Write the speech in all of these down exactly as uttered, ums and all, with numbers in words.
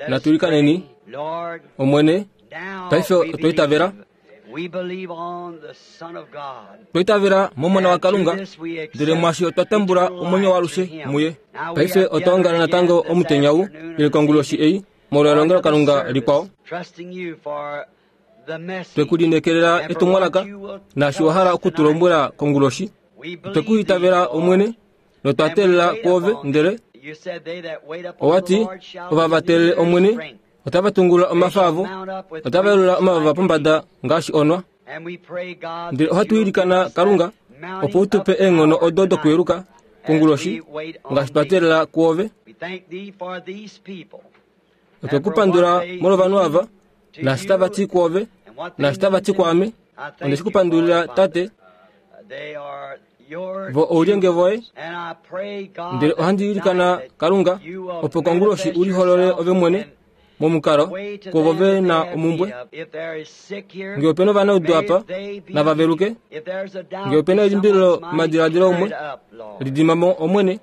Natu ilikaneni. Omwene, paife otwa itavela. Otwa itavela momona waKalunga, ndele mwashi otwa tambula omwenyo waalushe muye. Paife otwa ongala natango omutenya ou, ile konguloshi ei, molwa elongelokalunga likwao. Twe ku lineekelela etumwalaka, naashi wa hala oku tu lombwela konguloshi. Otwe ku itavela Omwene, notwa teelela kwoove, ndele owa ti, ova va teelele Omwene, otava tungulula omafa avo, otava yelula omavava pombada ngaashi onwa. Ndele ohatu ilikana Kalunga, opo u tu pe eenghono odo dokuyeluka konguloshi, ngaashi twa teelela kwoove. Otwe ku pandula molwovanhu ava, naashi tava ti kwoove, naashi tava ti kwaame. Onde shi ku pandulila, Tate, vo oulyenge voye. Ndele ohandi ilikana Kalunga, opo konguloshi u liholole ove mwene momukalo kwovo ve na omumbwe. Ngee ope na ovanaudu apa, nava veluke. Ngee ope na elimbililo momadiladilo umwe, lidima mo Omwene.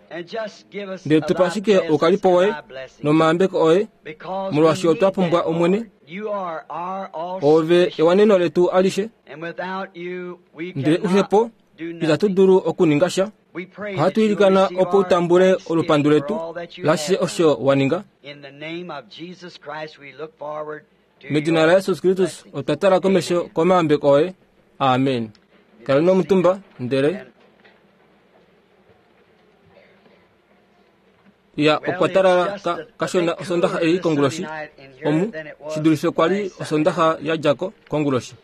Ndele tupa ashike oukalipo woye nomayambeko oye, molwaashi otwa pumbwa Omwene. Oove ewaneno letu alishe, ndele uhe po, itatu dulu okuninga sha. Ohatu ilikana opo u tambule olupandu letu lashishe osho wa ninga. Medina laJesus Kristus otwa tala komesho komayambeko oye. Amen. Kaleni omutumba, ndele ya okwa talala ka, kashona osondaxa ei konguloshi. Omu shi dulife kwa li osondaxa ya dja ko konguloshi.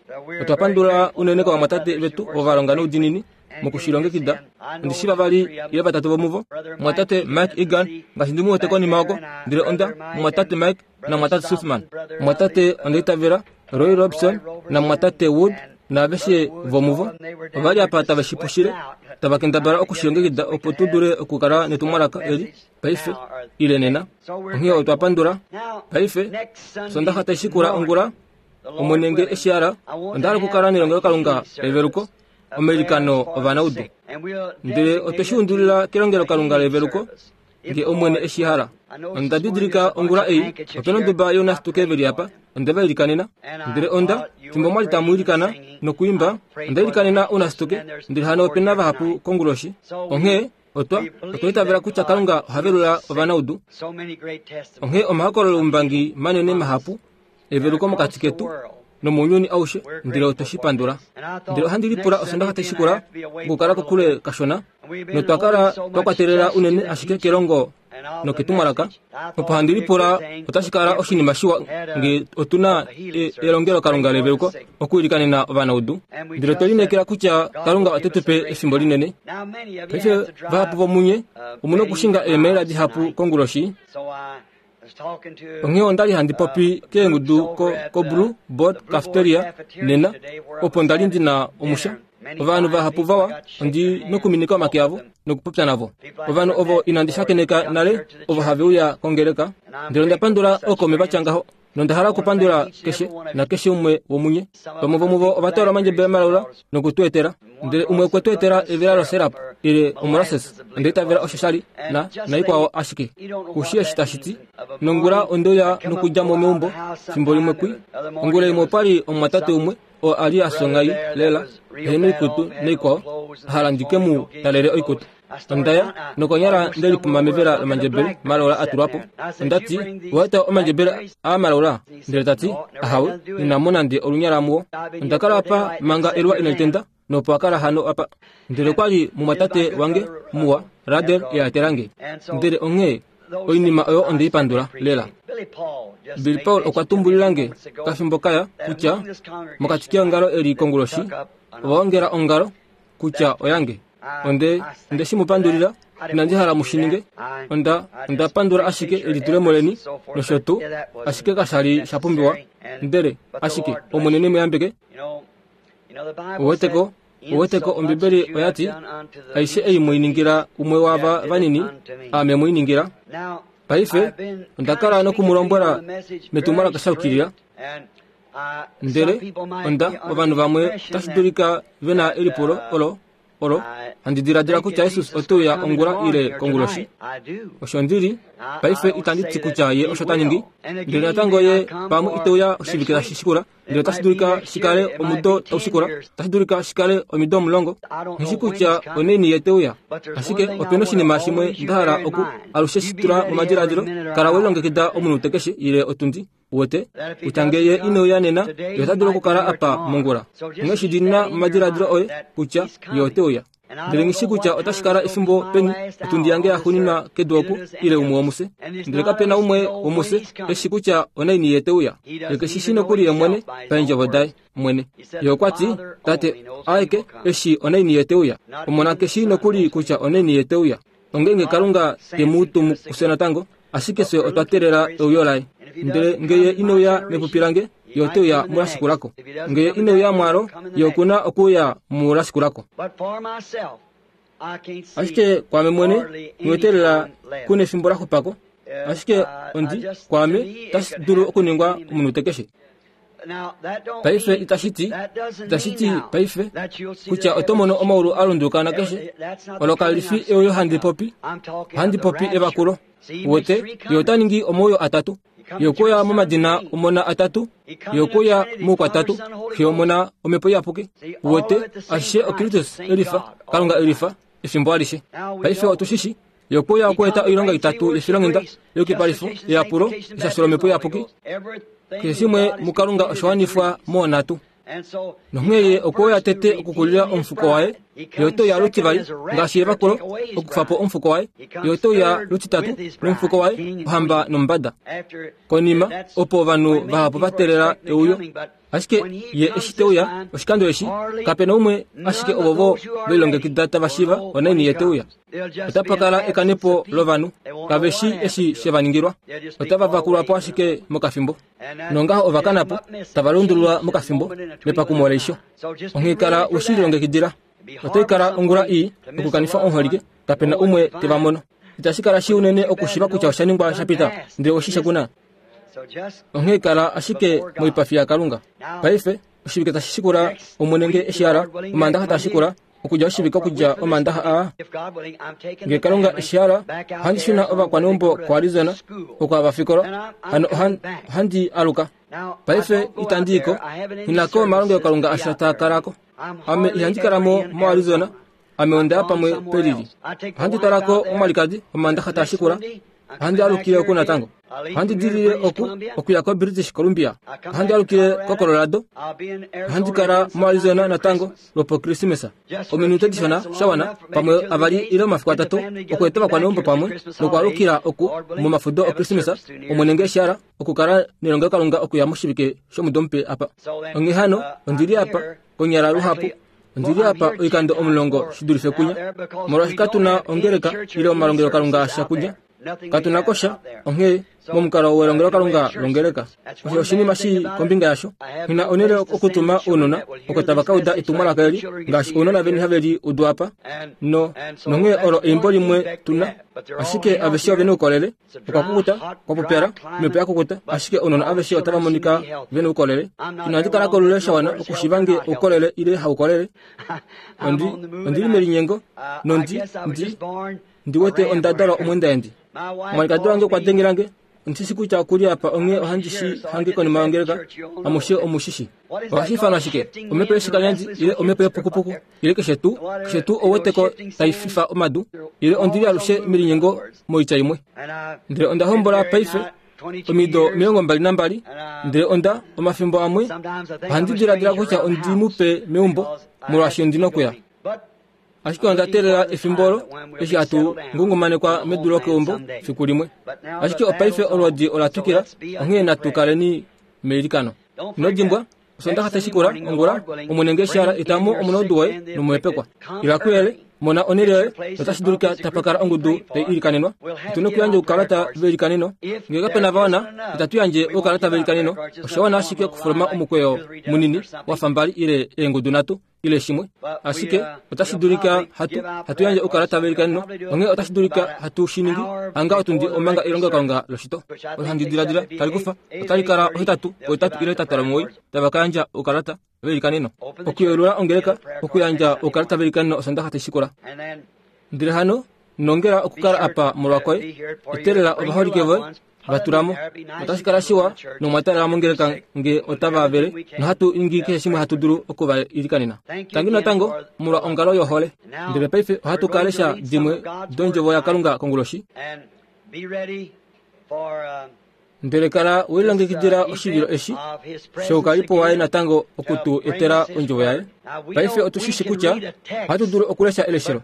Otwa pandula unene kovamwatate vetu ovo va longa noudinini mokushilongekida. Ondi shi vavali ile vatatu vomuvo, mumwatate Mike Egan, ngaashi ndi mu wete konima oko, ndele onda mumwatate Mike namumwatate Sussman, mumwatate onda itavela Roy Robson namumwatate Wood, naaveshe vomuvo ova li apa tave shi pushile, tava kendabala okushilongekida opo tu dule okukala netumwalaka eli paife ile nena. Onghee otwa pandula. Paife Sondaxa tai shikula ongula, Omwene nge eshi hala, onda hala okukala nelongelokalunga leveluko, omailikano ovanaudu. Ndele otwe shi undulila kelongelokalunga leveluko, nge Omwene eshi hala. Onda didilika ongula ei, ope na onduba younasituke veli apa, onde va ilikanena. Ndele onda, fimbo mwa li tamu ilikana nokuimba, onda ilikanena ounasituke, ndele hano ope na vahapu konguloshi. Onghee, otwa, otwa itavela kutya Kalunga oha velula ovanaudu. Onghee omahokololo oumbangi manene mahapu eveluko mokati ketu nomounyuni aushe, ndele otwe shi pandula. Ndele ohandi lipula osondaxa tai shikula okukala kokule kashona, notwa kala twa kwatelela unene ashike kelongo noketumwalaka. Opo handi lipula otashi kala oshinima shiwa nge otu na elongelokalunga leveluko okuilikanena ovanaudu. Ndele otwe lineekela kutya Kalunga ote tu pe efimbo linene. Paife vahapu vomunye omu na okushinga eemaila dihapu konguloshi. Onghee onda li handi popi keengudu ko, ko Blue Board Cafeteria nena, opo nda li ndi na omusha. Ovanhu vahapu vawa ondi nokuminika omake avo nokupopya navo. Ovanhu ovo inandi shakeneka nale ovo have uya kongeleka, ndele onda pandula ookaume va tya ngaho, nonda hala okupandula keshe nakeshe umwe womunye. Vamwe vomuvo ova twala omandjebele malaula noku tu etela, ndele umwe okwe tu etela evela loserap ile omolasses, onda itavela osho sha li na naikwao ashike. Kushi eshi tashi ti. Nongula onde uya nokudja mo meumbo fimbo limwe kwi. Ongula imwe opa li omumwatate umwe oo a li a songai lela, ehe noikutu naikwao, a hala ndi ke mu talele oikutu. Onda ya nokonyala nde lipuma mevela lomandjebele malaula a tulwa po. Onda ti, owa eta omandjebele aa malaula? Ndele ta ti, ahawe, inamu nande olunyala muwo. Onda kala apa manga eluwa inali tenda, nopo a kala hano apa. Ndele okwa li mumwatate wange muwa, Radel, e a etela nge. Ndele onghee oinima oyo onde i pandula lela. Billy Paul okwa tumbulila nge kafimbo kaya kutya mokati keongalo eli konguloshi ova ongela ongalo kutya oyange. Onde onde shi mu pandulila, inandi hala mu shi ninge. Onda onda pandula ashike elitulemo leni nosho tuu, ashike kasha li sha pumbiwa. Ndele ashike Omwene ne mu yambeke. Ouweteko, ouweteko, Ombibeli oya ti, aishe ei mwei ningila umwe waava vanini, aame mwei ningila. Paife onda kala noku mu lombwela metumwalaka sha yukilila. Ndele onda ovanhu vamwe otashi dulika ve na elipulo olo olo handi diladila kutya Jesus ote uya ongula ile konguloshi. Osho ndili paife itandi ti kutya ye osho ta ningi, ndele natango ye pamwe ite uya oshivike tashi shikula, ndele otashi dulika shikale omudo tau shikula, otashi dulika shikale omido omulongo. Nghishi kutya onaini ye te uya, ashike opena oshinima shimwe nda hala oku alushe shi tula momadiladilo. Kala we lilongekida omunute keshe ile otundi wote kutya ngee ye ine uya nena, ye ota dulu okukala apa mongula. Onghee shi dina momadiladilo oye kutya ye ote uya. Ndele nghishi kutya otashi kala efimbo peni otundi yange yaxuuninwa kedu oku ile umwe womufye, ndele kapena umwe womufye eshi kutya onaini ye te uya. Ye keshi shi nokuli ye mwene paendjovo daye mwene. Ye okwa ti, Tate aeke eshi onaini ye te uya. Omona keshi nokuli kutya onaini ye te uya. Ongenge Kalunga te mu tumu kufye natango, ashike fye otwa teelela euyo laye. Ndele ngee ye ine uya mepupi lange, ye ote uya mulashikulako. Ngee ye ine uya mwalo, ye okuna okuuya mulashikulako. Ashike kwaame mwene, nghiwetelela kuna efimbo la xupako, ashike ondi kwaame otashi dulu okuningwa omunute keshe. Paife itashi ti, itashi ti paife kutya oto mono omaulu a lunduluka nakeshe. Olo kali fi euyo handi popi, handi popi evakulo. Wote ye ota ningi omauyo atatu, ye okuya momadina omona atatu, ye okuya moukwatatu, xe omona omhepo iyapuki. Wote ashishe oKristus elifa, Kalunga elifa efimbo alishe. Paife otu shishi ye okuya okueta oilonga itatu yefilonghenda, yeyukipalifo, eyapulo, eshasho lomhepo iyapuki. Keshe shimwe muKalunga osha wanifwa moonhatu. Nonghee ye okwe uya tete okukulila omufuko waye, ye ote uya lutivali ngaashi evakulo okukufa po omufuko waye, ye ote uya lutitatu nomufuko waye, ohamba nomumbada. Konima opo ovanhu vahapu va teelela euyo, ashike ye eshi te uya oshikando eshi, kapena umwe ashike ovovo velilongekida tava shiiva onaini ye te uya. Otapa kala ekanepo lovanhu, kave shi eshi she va ningilwa, otava vakulwa po ashike mokafimbo. Nongaho ova kana po, tava lundululwa mokafimbo mepakumo leisho. Onghee kala we shi lilongekidila. Otai kala ongula ii okukanifa omuholike, kapena umwe te va mono. Itashi kala shi unene okushiiva kutya osha ningwa sha pita, ndele oshishe kuna. Onghee kala ashike moipafi yaKalunga. Paife oshivike tashi shikula Omwene ngee eshi hala, Omaandaxa taa shikula, okudja oshivike okudja Omaandaxa aa. Ngee Kalunga eshi hala, ohandi shuna ovakwaneumbo koArizona oko hava fikola, hano ohandi aluka. Paife itandi i ko, nghi ko omalongelokalunga asha taa kala ko. Ame ihandi kala mo moArizona, ame onda ya pamwe pelili. Ohandi twala ko omwalikadi Omaandaxa taa shikula, ohandi alukile oku natango. Ohandi dilile oku okuya koBritish Columbia, ohandi alukile koColorado, ohandi kala moArizona natango lwopokrismesa. Ominute dishona sha wana, pamwe avali ile omafiku atatu, okueta ovakwaneumbo pamwe nokwaalukila oku momafudo okrismesa, Omwene ngee eshi hala, okukala nelongelokalunga okuya moshivike shomudo mupe apa. Onghee hano ondili apa konyala luhapu, ondili apa oikando omulongo shi dulife kunya, molwaashi katuna ongeleka ile omalongelokalunga asha kunya. Katuna ko sha, onghee momukalo welongelokalunga longeleka. Osho oshinima shii kombinga yasho. Nghina onhele okutuma ounona oko tava ka uda etumwalaka eli, ngaashi ounona veni have li udu apa. No, nonghee olo eimbo limwe tuna, ashike aveshe ove noukolele. Okwa kukuta, kwa pupyala, omhepo ya kukuta, ashike ounona aveshe otava monika ve noukolele. Inandi kala kolule sha wana okushiiva ngee oukolele ile haukolele. Ondi, ondili melinyengo, nondi, ndi, ndi wete onda dalwa omwendaendi. Omwalikadi wange okwa dengelange, ondishi kutya okuli apa onghee ohandi shi hange konima yongeleka, amushe omushishi. Ohashi ifanwa shike? Omhepo yoshikalyanzi ile omhepo yepukupuku ile keshe tuu, keshe tuu ouweteko tai fifa omadu, ile ondili alushe melinyengo moitya imwe. Ndele onda hombola paife omido omilongo mbali nambali, ndele onda omafimbo amwe ohandi diladila kutya ondi mupe meumbo molwaashi ondina okuya. Ashike onda teelela efimbo olo eshi hatu ngungumanekwa medu lokeumbo fiku limwe. Ashike opaife olwoodi ola twikila, onghee natu kaleni meilikano. Ino dimbwa, Osondaxa tashi shikula ongula, Omwene ngee eshi hala, eta mo omunaudu woye nomuhepekwa. Ila kuyele, mona onhele yoye, notashi dulika tapa kala ongudu tai ilikanenwa. Otu na okuyandja oukalata veilikaneno. Ngee kapena va wana, itatu yandje oukalata veilikaneno. Osha wana ashike okufuluma omukweyo munini wa fa mbali ile eengudu nhatu. ile shimwe. Ashike otashi dulika hatu hatu yandje oukalata veilikaneno, onghee otashi dulika hatu shi ningi hanga otundi omanga elongelokalunga loshito. Olo handi diladila tali kufa otali kala ohetatu, ohetatu ile hetatu lomuwoi tava ka yandja oukalata veilikaneno. Okuyelula ongeleka okuyandja oukalata veilikaneno Osondaxa tashi shikula. Ndele hano nongela okukala apa molwakoye, etelela ovaholike voye vatulamo. Otashi kala shiwa nomwatalela mongeleka nge otava vele, nohatu ningi keshe shimwe hatu dulu okuvailikanena. Tangi natango molwa ongalo yohole. Ndele paife ohatu ka lesha dimwe dondjovo yaKalunga konguloshi. Ndele kala welilongekidila oshivilo eshi shoukalipo waye natango okutu etela ondjovo yaye. Paife otushishi kutya ohatu dulu okulesha eleshelo,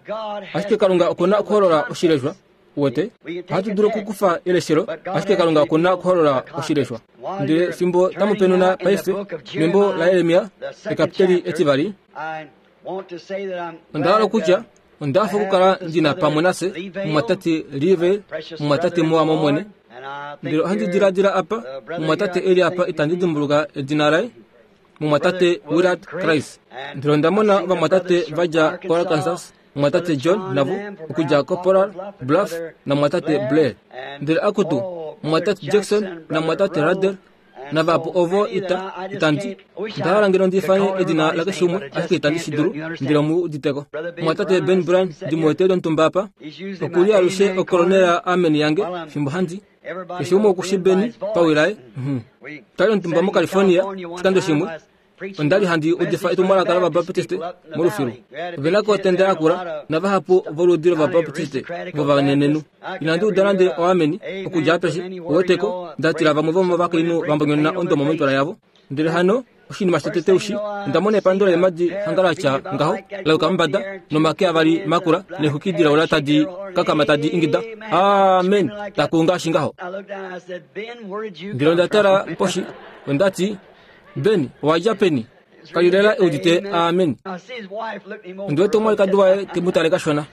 ashike Kalunga okuna okuholola oshileshwa. Uwete, ohatu dulu okukufa eleshelo, ashike Kalunga okuna okuholola oshileshwa. Ndele fimbo tamupenuna paife membo laJeremia ekapiteli etivali, onda hala okutya onda hafa okukala ndina pamwe nafye mumwatate Live, mumwatate muwa momwene. Ndele ohandi diladila apa mumwatate eli apa itandi dimbuluka edina laye, mumwatate Willard Christ. Ndele onda mona ovamwatate vadja koArkansas, mumwatate John navo okudja koPolar Bluff na mumwatate Blair. Ndele akutu mumwatate Jackson na mumwatate Rader navahapu ovo ita itandi ndahala ngeno ndifane edina lakeshe umwe, ashike itandi shi dulu, ndele omu uditeko. Mumwatate Ben Bryan ndimuwete lontumba apa, okuli alushe okolonela amen yange fimbo handi keshe umwe okushi Beni pawilaye. Twali ontumba moCalifornia oshikando shimwe, onda li handi udifa etumwalaka lOvabaptiste molufilu. Ovena ko otenda yakula navahapu voludi lOvabaptiste vovanenenhu. Inandi uda nande oameni okudja apeshe, uweteko, ndatila vamwe vomovakainhu vambonyonena ondomo moipala yavo. Ndele hano oshinima shotete ushi, onda mona epando leemadi hanga latya ngaho lauka mombada nomake avali makula neexwiki dilaula tadi kakama tadi ingida amen, taku ngaashi ngaho. Ndele onda tala poshi, ondati, Ben, owadja peni? Kali lela eudite amen. Ndiwete omwalikadi waye te mu tale kashona.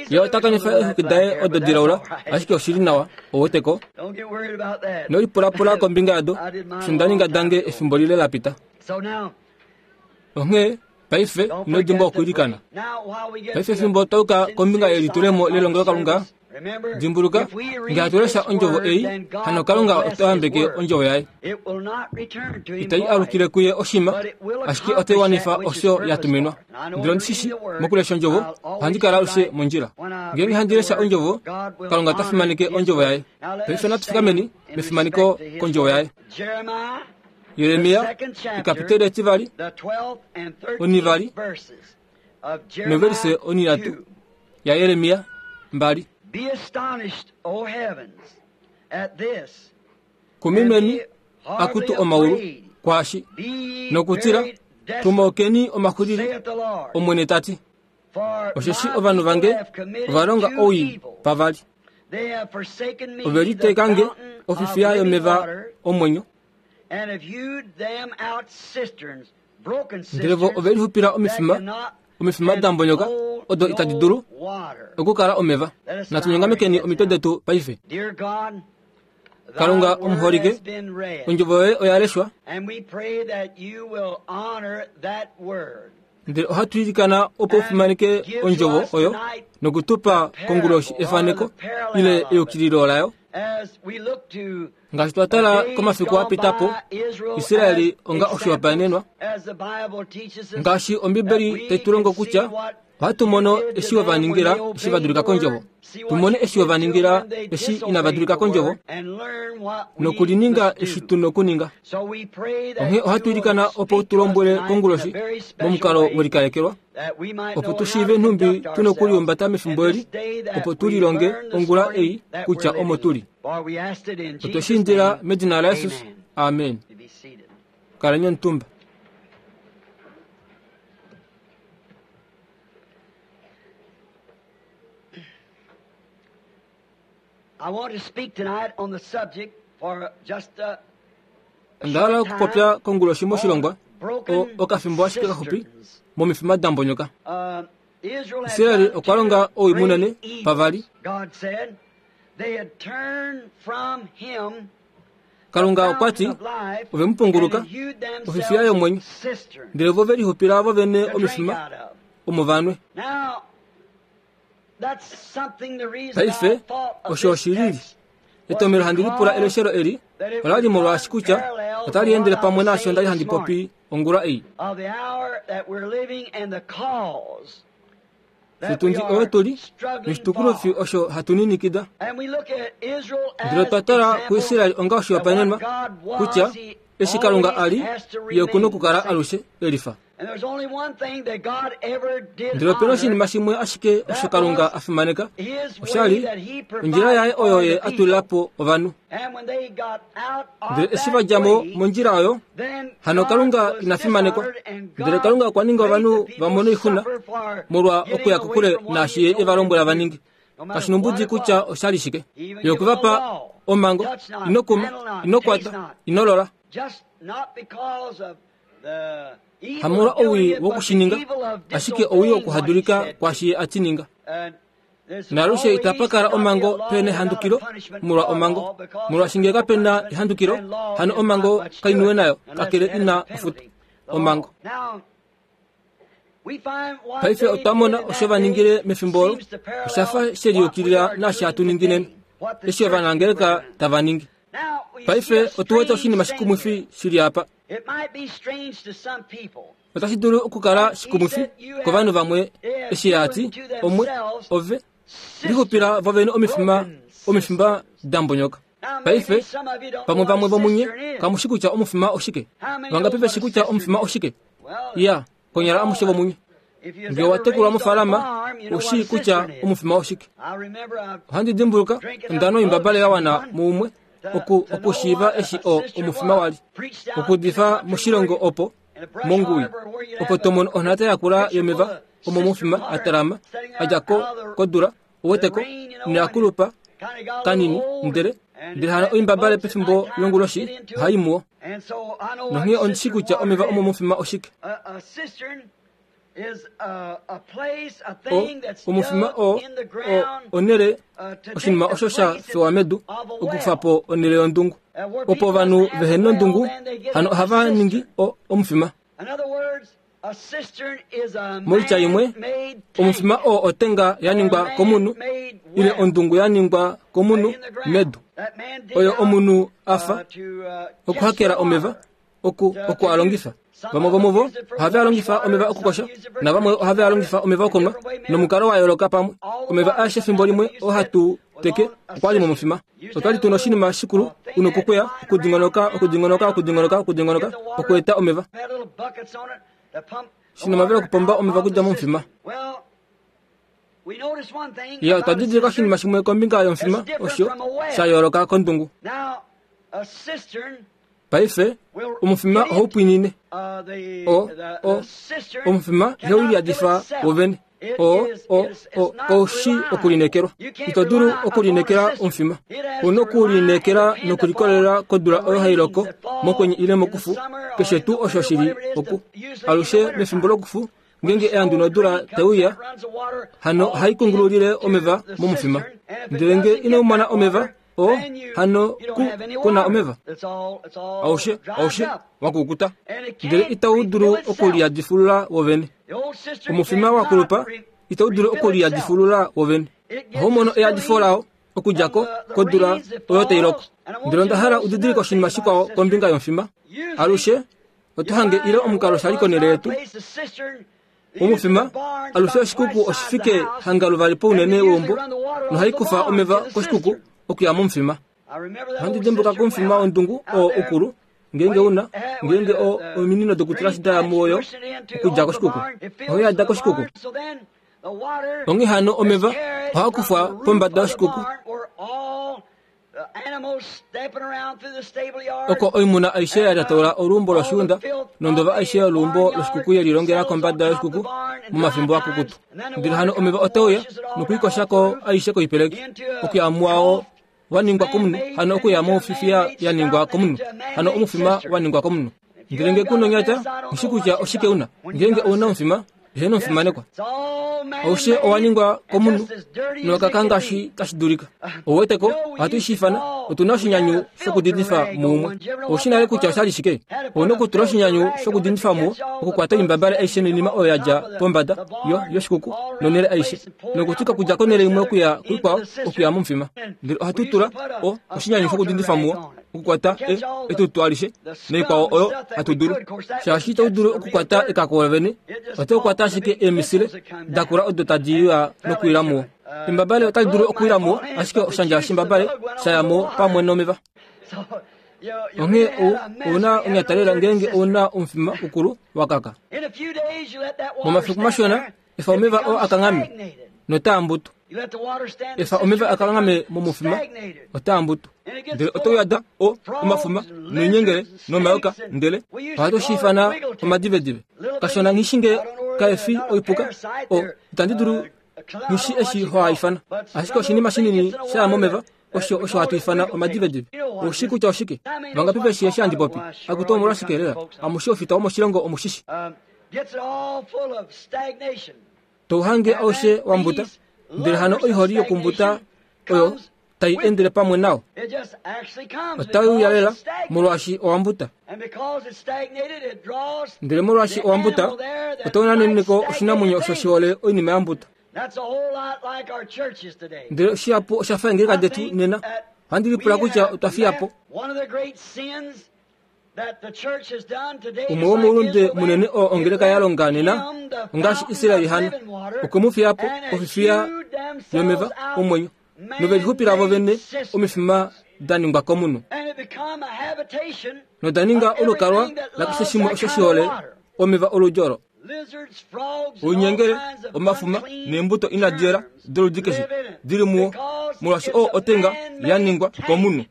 Ye ota kanifa eexwiki daye odo dilaula, ashike oshili nawa, ouweteko. Nolipulapula kombinga yado, osho nda ninga dange efimbo lile lapita. Onghee paife ino dimbwa okwiilikana. Paife fimbo twayuka kombinga yelitulemo lelongelokalunga, dimbuluka nge hatu lesha ondjovo ei, hano Kalunga ota yambeke ondjovo yaye. Itai alukile kuye oshima, ashike otai wanifa osho ya tuminwa. Ndele ondishishi mokulesha ondjovo, ohandi kala alushe mondjila. Ngeenge handi lesha ondjovo, Kalunga ota fimaneke ondjovo yaye. Paife natu fikameni mefimaneko kondjovo yaye. Jeremia ekapiteli etivali onivali noverise onihatu ya Jeremia mbali. Kumimeni akutu omaulu kwashi nokutila tumaukeni omaxulili, Omwene tati. Osheshi ovanhu vange ovalonga owii pavali, ove liteekange ofifiya yomeva omwenyo, ndele vo ove lixupila omifima, omifima da mbonyoka odo itadi dulu okukala omeva. Natu nyongamekeni omitwe detu paife. Kalunga omuholike, ondjovo yoye oya leshwa, ndele ohatu ilikana opo ufimaneke ondjovo oyo nokutupa konguloshi efaneko ile eyukililo layo. Ngaashi twa tala komafiku apitapo, Israeli onga oshihopaenenwa, ngaashi Ombibeli tai tu longo kutya ohatu mono eshi ovaningila eshi vadulika kondjovo, tumone eshi ovaningila eshi inavadulika kondjovo, nokulininga eshi tu nokuninga. Onghee ohatu ilikana opo tu lombwele konguloshi momukalo welikalekelwa, opo tu shiive nhumbi tu nokuliumbata mefimbo eli, opo tu lilonge ongula ei kutya omo tuli. Otwe shi indila medina laJesus, amen. Kaleni omutumba. Onda hala okupopya konguloshi moshilongwa okafimbo ashike kaxupi momifima da mbonyoka. Israeli okwa longa owii munene pavali. Kalunga okwa ti ove mu punguluka ofifiya yomwenyo ndele vo ve lixupila vo vene omifima omo vanwe. Paife osho oshilili etomelo handi lipula eleshelo eli ola li molwaashi kutya otali endele pamwe naasho ndali handi popi ongula ei. Otundi oyo tuli noshitukulofi osho hatu ninikida. Ndele otwa tala kuIsraeli onga oshihopaenenwa kutya eshi Kalunga a li ye oku na okukala alushe elifa. Ndele opena oshinima shimwe ashike osho Kalunga a fimaneka osha li ondjila yaye oyo ye a tulila po ovanhu. Ndele eshi va dja mo mondjila oyo, hano Kalunga ina fimanekwa. Ndele Kalunga okwa ninga ovanhu va mone oixuna molwa okuya kokule naashi ye e va lombwela va ninge. Kashi nombudi kutya osha li shike. Ye okwe va pa omhango, ino kuma, ino kwata, ino lola. Hamolwa owii wokushininga, ashike owii wokuhadulika kwaashi ye a ti ninga. Naalushe itapa kala omhango pehena ehandukilo molwa omhango. Molwaashi ngee kapena ehandukilo, hano omhango kainiwe nayo kakele ina ofuto. Omhango. Paife otwa mona osho va ningile mefimbo olo, osha fa she liyukilila naashi hatu ningi nena, eshi ovanangeleka tava ningi. Paife otu wete oshinima shikumwifi shili apa. Otashi dulu okukala shikumwifi kovanhu vamwe eshi a ti omwe ove lixupila vo vene omifima omifima da mbonyoka. Paife pamwe vamwe vomunye kamushi kutya omufima oshike. Vangapi veshi kutya omufima oshike? Ya, konyala amushe vomunye. Ngee wa tekulwa mofaalama, ushi kutya omufima oshike. Ohandi dimbuluka onda nwa oimbabale ya wana muumwe oku okushiiva eshi o omufima wali. Okudifa moshilongo opo mongui opo tomono onhata yakula yomeva omo mufima a talama a dja ko kodula uweteko noyakulupa kanini ndele ndele hano oimbabale pefimbo longuloshi ohai muwo. Nonghee ondishi kutya omeva omo mufima oshike. O omufima o o onhele oshinima osho sha fewa medu okukufa po onhele yondungu. Opo ovanhu vehena ondungu hano ohava ningi o omufima. Moitya imwe, omufima oo otenga ya ningwa komunhu ile ondungu ya ningwa komunhu medu. Oyo omunhu a fa okuhakela omeva oku oku a longifa. Vamwe vomuvo ohava longifa omeva okukosha, navamwe ohava longifa omeva okunwa nomukalo wa yooloka pamwe. Omeva aeshe efimbo limwe oo hatu teke okwa li momufima. Otwali tuna oshinima shikulu una okukweya okudingonoka okudingonoka okudingonoka okudingonoka okweeta omeva. Shina omavela okupomba omeva okudja momufima. Ya, otwa didilika oshinima shimwe kombinga yomufima osho sha yooloka kondungu. Paife omufima ohau pwinine. O o omufima ihau liyadifa wovene. O o o koushi okulinekelwa. Ito dulu okulinekela omufima. Una okulinekela nokulikolelela kodula oyo hai loko mokwenye ile mokufu, keshe tuu osho shili oku. Alushe mefimbo lokufu ngeenge eandu nodula taiuya, hano ohai kungululile omeva momufima. Ndele ngee ino mona omeva, o hano ku kuna omeva. Aushe aushe wakukuta. Ndele itau dulu okuliyadifulula wovene. Omufima wakulupa itau dulu okuliyadifulula wovene. Ohau mono eyadifo lao okudja ko kodula oyo tai loko. Ndele onda hala udidilike oshinima shikwao kombinga yomufima. Alushe oto hange ile omukalo shali konhele yetu. Omufima alushe oshikuku oshifike hanga luvali pounene weumbo nohai kufa omeva koshikuku okuya momufima. Ohandi dimbuka komufima wondungu oo ukulu ngeenge una ngeenge o ominino dokutula shida muoyo okudja koshikuku oho yada koshikuku. Onghee hano omeva ohaa kufwa pombada yoshikuku oko oimuna aishe ya lyataula oluumbo loshiunda nondova aishe yoluumbo loshikuku ye lilongela kombada yoshikuku momafimbo akukutu. Ndele hano omeva otauya nokwiikoshako aishe koipeleki okuya muwao wa ningwa komunhu, hano okuya mofifiya ya ningwa komunhu, hano omufima wa ningwa komunhu. Ndele ngee kuna onyata, nghishi kutya oshike una. Ngeenge ouna omufima, ehena omufimanekwa. Aushe owa ningwa komunhu nowakaka ngaashi tashi dulika. Ouweteko ohatu shi ifana Otu na oshinyanyu shokudindifa muumwe. Oushi nale kutya oshali shike? Ouna okutula oshinyanyu shokudindifa muwo okukwata oimbabale aishe noinima oyo ya dja pombada yo yoshikuku nonhele aishe, nokutuka kudja konhele imwe okuya kuikwao okuya momufima. Ndele ohatu tula o oshinyanyu shokudindifa muwo okukwata e etutu alishe noikwao oyo hatu dulu. Shaashi itau dulu okukwata ekako vene, otau kwata ashike eemisile dakula odo tadi uya nokuwila muwo. Imbabale otali dulu okuwila muwo, ashike oshandja shimbabale shaya mo pamwe nomeva. Onghee ouna onyatalela ngeenge ouna omufima ukulu wakaka. Momafiku mashona, efa omeva oo akanghame notaa mbutu. Efa omeva akanghame momufima otaa mbutu. Ndele otau yada o omafuma noinyengele nomayoka, ndele ohatu shi ifana omadivedive. Kashona nghi shi nge kaefi oipuka, o itandi dulu nghi eshi ho ifana. Ashike oshinima shinini shaya momeva osho osho hatu ifana omadivedive. Oushi kutya oshike? Vangapi veshi eshi handi popi? Akutu omolwashike lela? Amushe ofita womoshilongo omushishi. Touhange aushe wambuta, ndele hano oiholi yokumbuta oyo tai endele pamwe nao. Otai uya lela molwaashi owambuta. Ndele molwaashi owambuta, otau naneneko oshinamwenyo osho shihole oinima yambuta. Ndele shihapu osha fa eengeleka detu nena. Ohandi lipula kutya otwa fiya po. Umwe womoulunde munene oo ongeleka ya longa nena ongaashi Israeli hano okwe mu fiya po ofifiya yomeva omwenyo, novelixupila vo vene omifima da ningwa komunhu, noda ninga olukalwa lakeshe shimwe osho shihole omeva oludi olo. Oinyengele, omafuma neembuto inadi yela doludi keshe dili muwo, molwaashi oo otenga ya ningwa komunhu.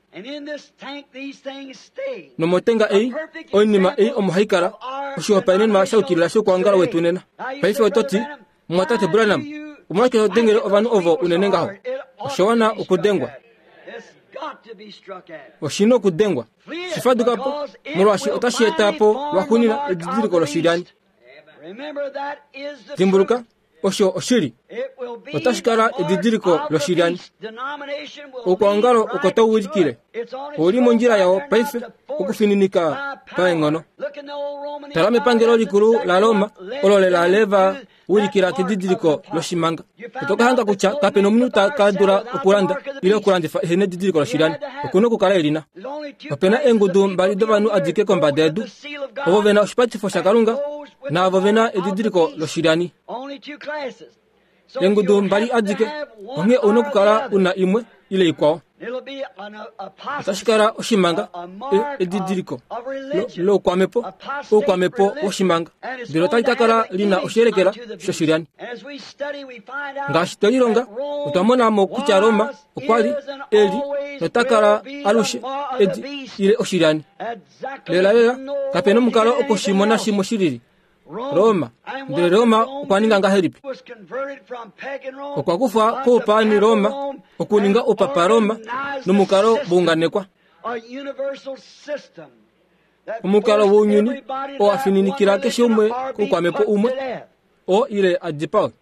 Nomotenga ei, oinima ei omo hai kala, oshihopaenenwa sha yukilila shokuongala wetu nena. Paife oto ti, Mumwatate Branham, omolwashike to dengele ovanhu ovo unene ngaho? Osha wana okudengwa. Oshi na okudengwa. Shifaduka po, molwaashi otashi eta po lwaxuuninwa edidiliko loshilyani. Dimbuluka, osho oshili. Otashi kala edidiliko loshilyani. Oukwaongalo oko tau wilikile. Ouli mondjila yao paife okufininika paenghono. Tala mepangelo likulu laRoma olo lela leva wilikila kedidiliko loshimanga. Oto ka hanga kutya kape nomunhu ta ka dula okulanda ile okulandifa ehe nedidiliko loshilyani. Okuna okukala elina. Opena eengudu mbali dovanhu adike kombada yedu, ovo vena oshipatifo shaKalunga naavo vena edidiliko loshilyani. Eengudu mbali adike, onghee ouna okukala una imwe ile ikwao. Otashi kala oshimanga, edidiliko loukwamepo, oukwamepo woshimanga, ndele otali ka kala lina oshiyelekela shoshilyani. Ngaashi twelilonga, otwa mona mo kutya Roma okwa li eli nota kala alushe edi ile oshilyani. Lela lela, kape nomukalo okushimona shimwe shilili. Roma, ndele Roma okwa ninga ngahelipi? Okwa kufa koupaani Roma okuninga oupapa Roma nomukalo wounganekwa. Omukalo wounyuni oo afininikila keshe umwe koukwamepo umwe oo ile adipawe.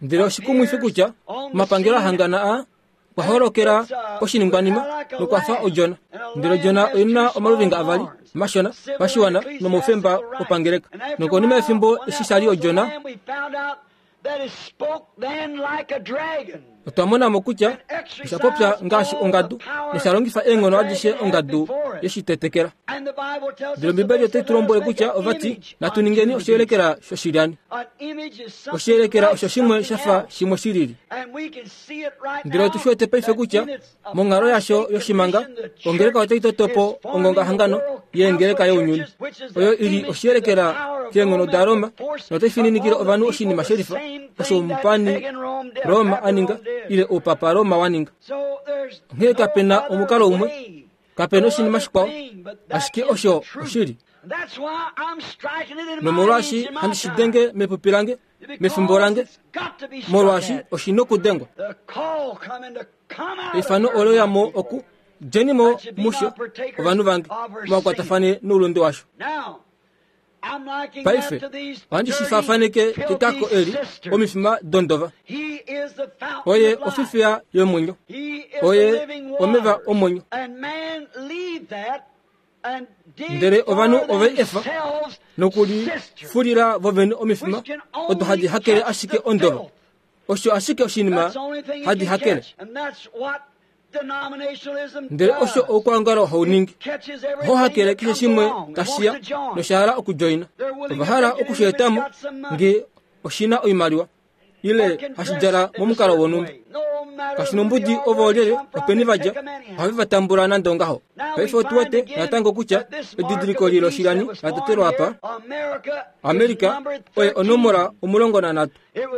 Ndele oshikumwifi kutya omapangelo ahangana aa okwa holokela oshiningwanima nokwa fa odjona. Ndele odjona oina omaluvinga avali mashona pashiwana nomoufemba wopangeleka. Nokonima yefimbo eshi shali odjona, otwa mona mo kutya osha popya ngaashi ongadu nosha longifa eenghono adishe ongadu yeshitetekela. Ndele Ombibeli otai tu lombwele kutya ovati natu ningeni oshiyelekela shoshilyani. Oshiyelekela osho shimwe sha fa shimwe shilili. Ndele otu shi wete paife kutya monghalo yasho yoshimanga, ongeleka otai toto po ongongahangano yeengeleka younyuni, oyo ili oshiyelekela keenghono daRoma, notai fininikile ovanhu oshinima shelifa osho omupani Roma a ninga ile oupapa Roma wa ninga. Onghee kape na omukalo umwe, kape na oshinima shikwao, ashike osho oshili. Nomolwaashi handi shi denge mepupi lange, mefimbo lange, molwaashi oshi nokudengwa. Eifano olo ya mo oku djeni mo musho ovanhu vange, mwakwatafane noulunde washo. Paife ohandi shi faafaneke kekako eli omifima dondova. Oye ofifiya yomwenyo, oye omeva omwenyo. Ndele ovanhu ove efa nokulifulila vovene omifima odo hadi hakele ashike ondova. Osho ashike oshinima hadi hakele. Ndele osho oukwangalo hau ningi, oho hakele keshe shimwe tashiya nosha hala okudjoina. Ova hala okusheetamo nge oshina oimaliwa ile hashi djala momukalo wonhumba. Kashi nombudi ovo olyelye openi vadja, ohave va tambula nande ongaho. Paife otu wete natango kutya edidiliko li loshilani la totelwa apa, Amerika oye onomola omulongo nanhatu.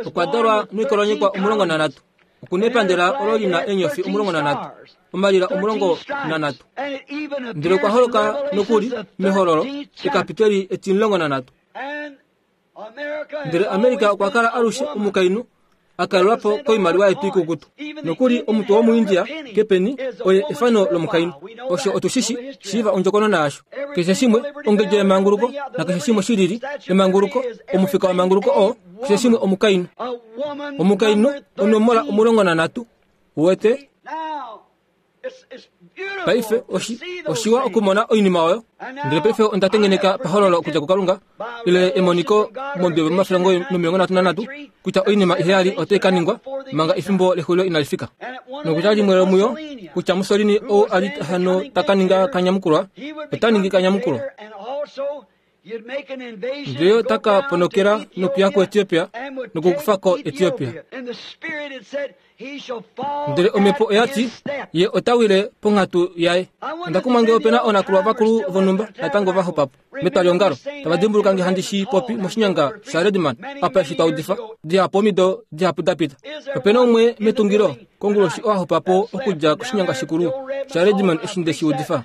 Okwa dalwa noikolonyekwa omulongo nanhatu. Okuna epandela olo lina eenyofi omulongo nanhatu, omalila omulongo nanhatu. Ndele okwa holoka nokuli mehololo ekapiteli etimulongo nanhatu. Ndele Amerika okwa kala alushe omukainhu a kalelwa po koimaliwa yetu ikukutu. Nokuli omutwe womuIndia kepeni oye efano lomukainhu. Osho otushishi shiiva ondjokonona yasho. Keshe shimwe ongedjo yemanguluko nakeshe shimwe shilili emanguluko, omufika wemanguluko oo keshe shimwe omukainhu. Omukainhu onomola omulongo nanhatu. Uwete? Paife oshi oshiwa okumona oinima oyo. Ndele paife onda tengeneka pahololo okudja kuKalunga ile emoniko mombebe momafilongo nomilongo nhatu nanhatu kutya oinima iheyali otai ka ningwa manga efimbo lexulilo inali fika. Nokutya limwe lomuyo kutya Mussolini ou a li hano ta ka ninga kanyamukulwa, ota ningi kanyamukulwa. Ndele ota ka ponokela nokuya kuEthiopia nokukufa ko Ethiopia. Ndele omhepo oya ti ye ota wile ponghatu yaye. Onda kumwa ngee opena oonakulwa vakulu vonhumba natango va xupa po metwaliongalo tava dimbuluka nge handi shi popi moshinyanga shaRedman apa eshi twa udifa dihapu omido dihapu da pita. Opena umwe metungilo konguloshi oo a xupa po okudja koshinyanga shikulu shaRedman eshi nde shi udifa.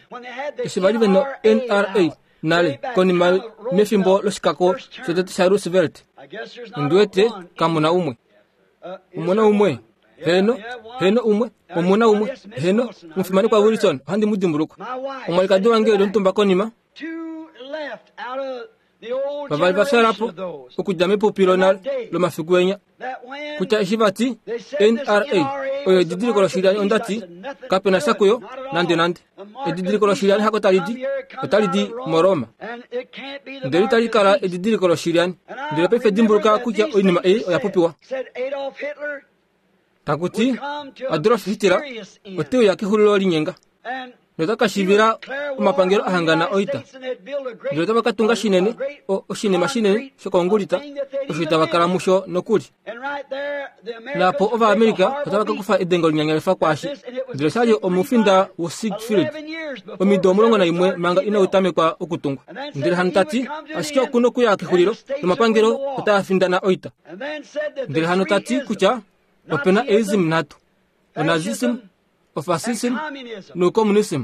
Eshi vali vena N R A nale konima mefimbo loshikako shotete shaRoosevelt. Ondi wete kamuna umwe. Omuna umwe. Heno, heno umwe, omuna umwe, heno, omufimanekwa Wilson, ohandi mu dimbulukwa. Omwalikadi wange eli omutumba konima. Vavali va fyala po okudja mepupi lonale lomafiku enya. Kutya eshi vati N R A oyo edidiliko loshilyani, onda ti kapena sha kuyo nande nande. Edidiliko loshilyani hako tali di, otali di moRoma. Ndele itali kala edidiliko loshilyani. Ndele paife dimbuluka kutya oinima ei oya popiwa. Takuti Adolf Hitler ote uya kexulilo linyenga nota ka shivila omapangelo ahangana oita. Ndele otava ka tunga shinene, oshinima shinene shokongulita, osho itava kala musho nokuli. Naapo Ovaamerica otava ka kufa edengo linyanyalifa kwaashi. Ndele oshali omufinda woSiegfried omido omulongo naimwe manga inau tamekwa okutungwa. Ndele hano tati ashike okuna okuya kexulilo nomapangelo otaa findana oita. Ndele hano tati kutya opena eism nhatu, onazism, ofascism noucommunism.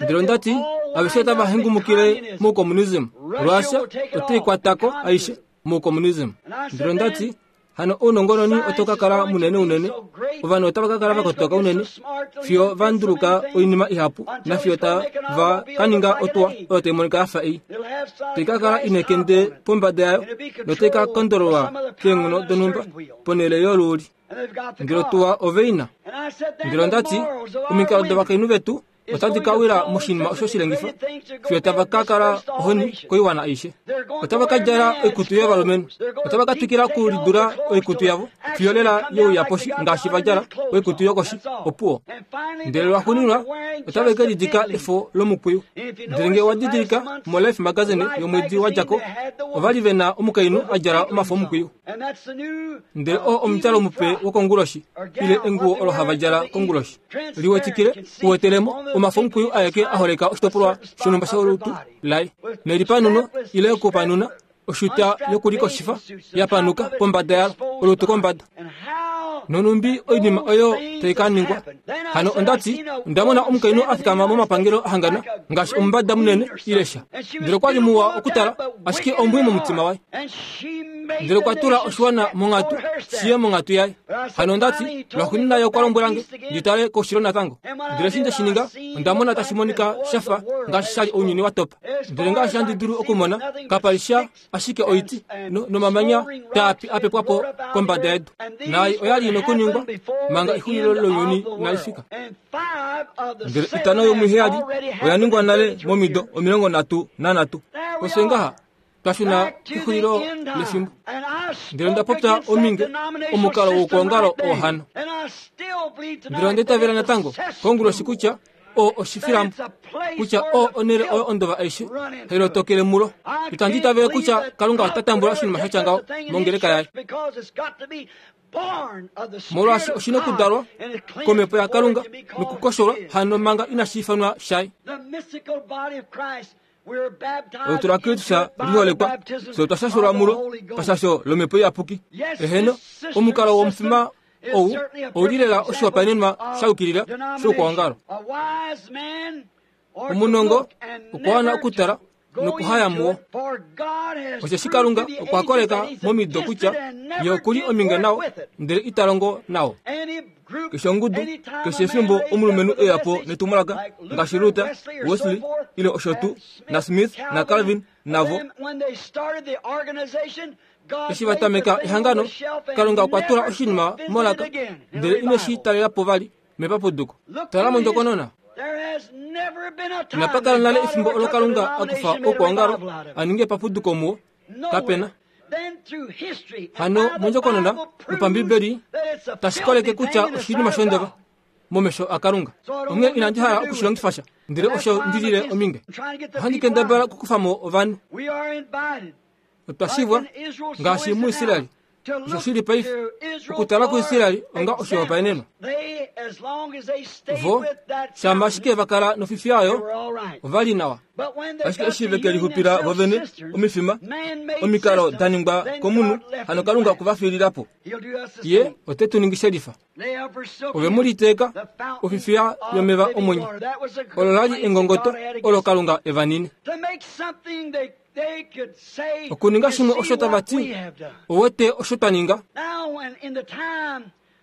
Ndele onda ti aveshe otava hengumukile moucommunism. Russia otai kwatako aishe moucommunism. Ndele onda ti hano ounongononi otau ka kala munene unene, ovanhu otava ka kala va kotoka unene fiyo va nduluka oinima ihapu nafiyo tava ka ninga otuwa oyo tai monika yafa ei. Tai ka kala ina ekende pombada yayo notai ka kondololwa keenghono donhumba ponhele yoluuli. Ndele otuwa ove ina. Ndele onda ti omikalo dovakainhu vetu otadi ka wila moshinima osho shilengifa fiyo tava ka kala ohoni koiwana aishe. Otava ka djala oikutu yovalumenhu. Otava ka twikila okulidula oikutu yavo fiyo lela yeuya poshi ngaashi va djala oikutu yokoshi opuwo. Ndele lwaxuuninwa otava ke lidika efo lomukwiyu. Ndele ngee owa didilika moLife magazine yomwedi wa dja ko, ova li ve na omukainhu a djala omafo omukwiyu. Ndele oo omudjalo mupe wokonguloshi ile enguwo olo hava djala konguloshi. Liwetikile uwetelemo omafo omukwiyu aeke a holeka oshitopolwa shonhumba sholutu laye. Nelipanuno ile okupanuna oshuta yokulikoshifa ya panuka pombada yalo, olutu kombada. Nonumbi oinima oyo tai ka ningwa. Hano onda ti onda mona omukainhu a fikama momapangelo ahangana ngaashi omumbada munene ile sha. Ndele okwa li muwa okutala ashike ombwi momutima waye. Ndele okwa tula oshiwana monghatu shiye monghatu yaye. Hano onda ti lwaxuuninwa ye okwa lombwela nge ndi tale koushilo natango. Ndele eshi nde shi ninga, onda mona tashi monika sha fa ngaashi sha li ounyuni wa topa. Ndele ngaashi handi dulu okumona, kapa li sha ashike oiti nomamanya taa pi a pepwa po kombada yedu. Naai oya li nokuningwa manga exulilo lounyuni inali fika. Ndele itano yomuheyali oya ningwa nale momido omilongo nhatu nanhatu. Osho ngaha twa shuna kexulilo lefimbo. Ndele onda popya ominge omukalo wokwoongalo oo hano. Ndele onda itavela natango konguloshi kutya oo oshifilambo, kutya oo onhele oyo ondova aishe hai lotokele mulo. Itandi itavele kutya Kalunga ota tambula oshinima sha tya ngaho mongeleka yaye, molwaashi oshi na okudalwa komhepo yaKalunga nokukosholwa hano manga inashi ifanwa shaye. Olutu laKristus liholekwa, fye otwa shashelwa mulo pashasho lomhepo iyapuki. Eheno, omukalo womufima ou ouli lela oshihopaenenwa sha yukilila shoukwaongalo. Omunongo okwa wana okutala nokuhaya muwo. Osheshi Kalunga okwa koleka momido kutya ye okuli ominge nao, ndele ita longo nao. Keshe ongudu, keshe efimbo omulumenhu e ya po netumwalaka ngaashi Luther, Wesley, ile osho tuu, naSmith naCalvin navo. Eshi va tameka ehangano, Kalunga okwa tula oshinima molaka, ndele ine shi talela po vali mepapuduko. Tala mondjokonona. Inapa kala nale efimbo olo Kalunga a kufa oukwaongalo a ninge epapuduko muwo. Kapena. Hano mondjokonona nopambibeli tashi koleke kutya oshinima shondova momesho aKalunga. Onghee inandi hala okushilongifa sha, ndele osho ndi lile ominge. Ohandi kendabala okukufa mo ovanhu. Otwa shivwa ngaashi muIsraeli. Osho shili paife okutala kuIsraeli onga oshihopaenenwa. Vo shama ashike va kala nofifiya oyo, ova li nawa. Ashike eshi ve ke lixupila vovene omifima, omikalo da ningwa komunhu, hano Kalunga okwe va fiilila po. Ye ote tu ningi shelifa. Ove mu liteeka ofifiya yomeva omwenyo. Olo la li engongoto olo Kalunga e va nine. Okuninga shimwe osho tava ti, owete osho twa ninga.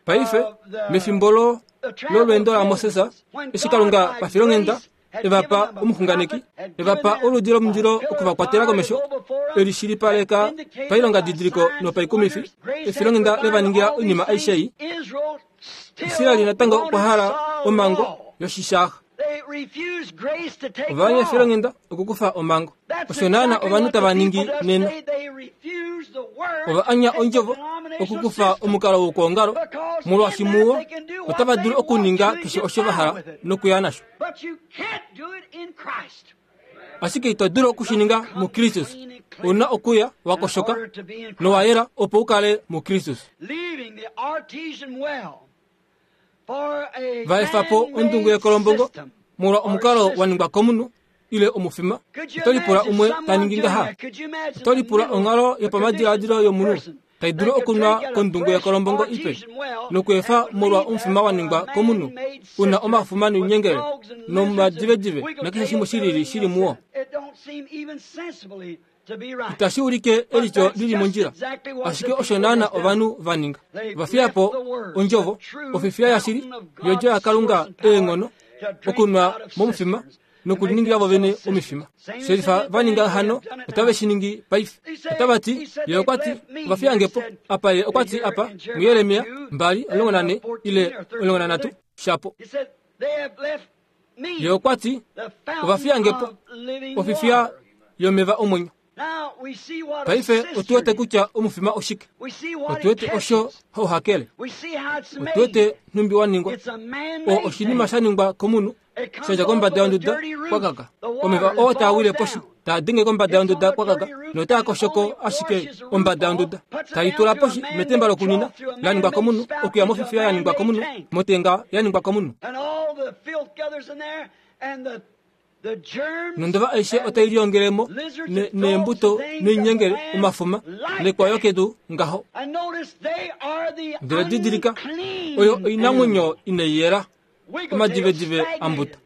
Paife, mefimbo lo lolweendo laMoses, eshi Kalunga pafilonghenda e va pa omuxunganeki, e va pa oludi lomundilo okuvakwatela komesho, e li shilipaleka pailongadidiliko nopaikumifi, efilonghenda le va ningila oinima aishe ei. Israeli natango okwa hala omhango yoshishaaxa. Ova anya efilonghenda okukufa omhango. Osho naana ovanhu tava ningi nena. Ova anya ondjovo okukufa omukalo wokwoongalo, molwaashi muwo otava dulu okuninga keshe osho va hala nokuya nasho. Ashike ito dulu okushininga muKristus. Ou na okuya wa koshoka nowa yela opo u kale muKristus. Va efa po ondungu yekolombongo molwa omukalo wa ningwa komunhu ile omufima. Oto lipula umwe ta ningi ngaha. Oto lipula onghalo yopamadiladilo yomunhu tai dulu okunwa kondungu yekolombongo ipe nokweefa molwa omufima wa ningwa komunhu u na omafuma noinyengele nomadivedive nakeshe shimwe shilili shili muwo. Itashi ulike elityo lili mondjila, ashike osho naana ovanhu va ninga. Va fiya po ondjovo, ofifiya yashili yodjo yaKalunga eenghono okunwa momufima nokuliningila vovene omifima. Shelifa va ninga hano otave shi ningi paife. Otava ti, ye okwa ti, ova fiya nge po. Apa ye okwa ti apa, muJeremia mbali omulongo nane ile omulongo nanhatu shapo. Ye okwa ti, ova fiya nge po, ofifiya yomeva omwenyo. Paife otu wete kutya omufima oshike. Otu wete osho hauhakele. Otu wete nhumbi wa ningwa. Oo oshinima sha ningwa komunhu sha dja kombada yonduda kwakaka. Omeva oo taa wile poshi taa denge kombada yonduda kwakaka notaa koshoko ashike ombada yonduda. Tai tula poshi metemba lokunina la ningwa komunhu okuya mofifiya ya ningwa komunhu motenga ya ningwa komunhu. Nondova aishe otai liongelemo neembuto noinyengele omafuma nekwayo kedu ngaho. Ndele didilika, oyo oinamwenyo inai yela, omadivedive ambuta.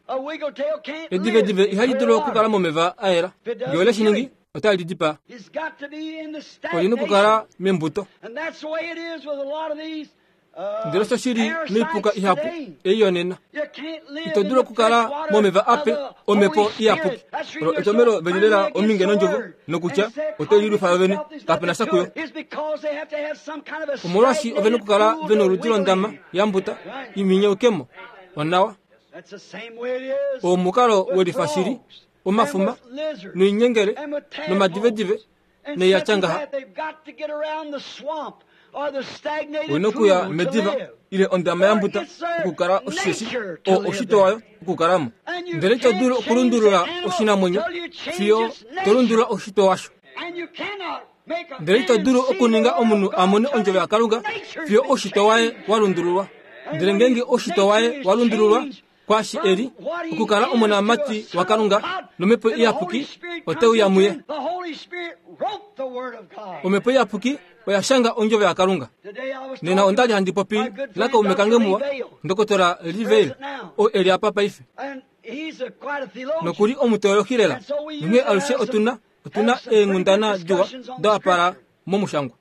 Edivedive ihali dulu okukala momeva a yela. Ngee ole shi ningi, Otali dipaa. Oli na okukala membuto. Ndele osho shili noipuka ihapu ei yonena. Ito dulu okukala momeva ape omhepo iyapuki. Olo etomelo veli lela ominge nondjovo nokutya ote lilufa yovene kapena sha kuyo. Omolwaashi ove na okukala vena oludi londama yambuta iminyeukemo onawa. Omukalo welifa shili omafuma noinyengele nomadivedive neiyatya ngaha. Oina okuya mediva ile ondama yambuta okukala oshisheshi oo oshito wayo okukalamo. Ndele ito dulu okulundulula oshinamwenyo fiyo to lundulula oshito washo. Ndele ito dulu okuninga omunhu a mone ondjovo yaKalunga fiyo oshito waye wa lundululwa. Ndele ngeenge oshito waye wa lundululwa kwaashi eli okukala omonamati waKalunga nomhepo iyapuki oteuya muye. Omhepo iyapuki oya shanga ondjovo yaKalunga. Nena onda li handi popi nakaume kange muwa, Ndokotola Livale, oo eli apa paife. Nokuli omuteolohi lela, nonghee alushe otuna otuna eenghundana diwa da wapala momushangwa.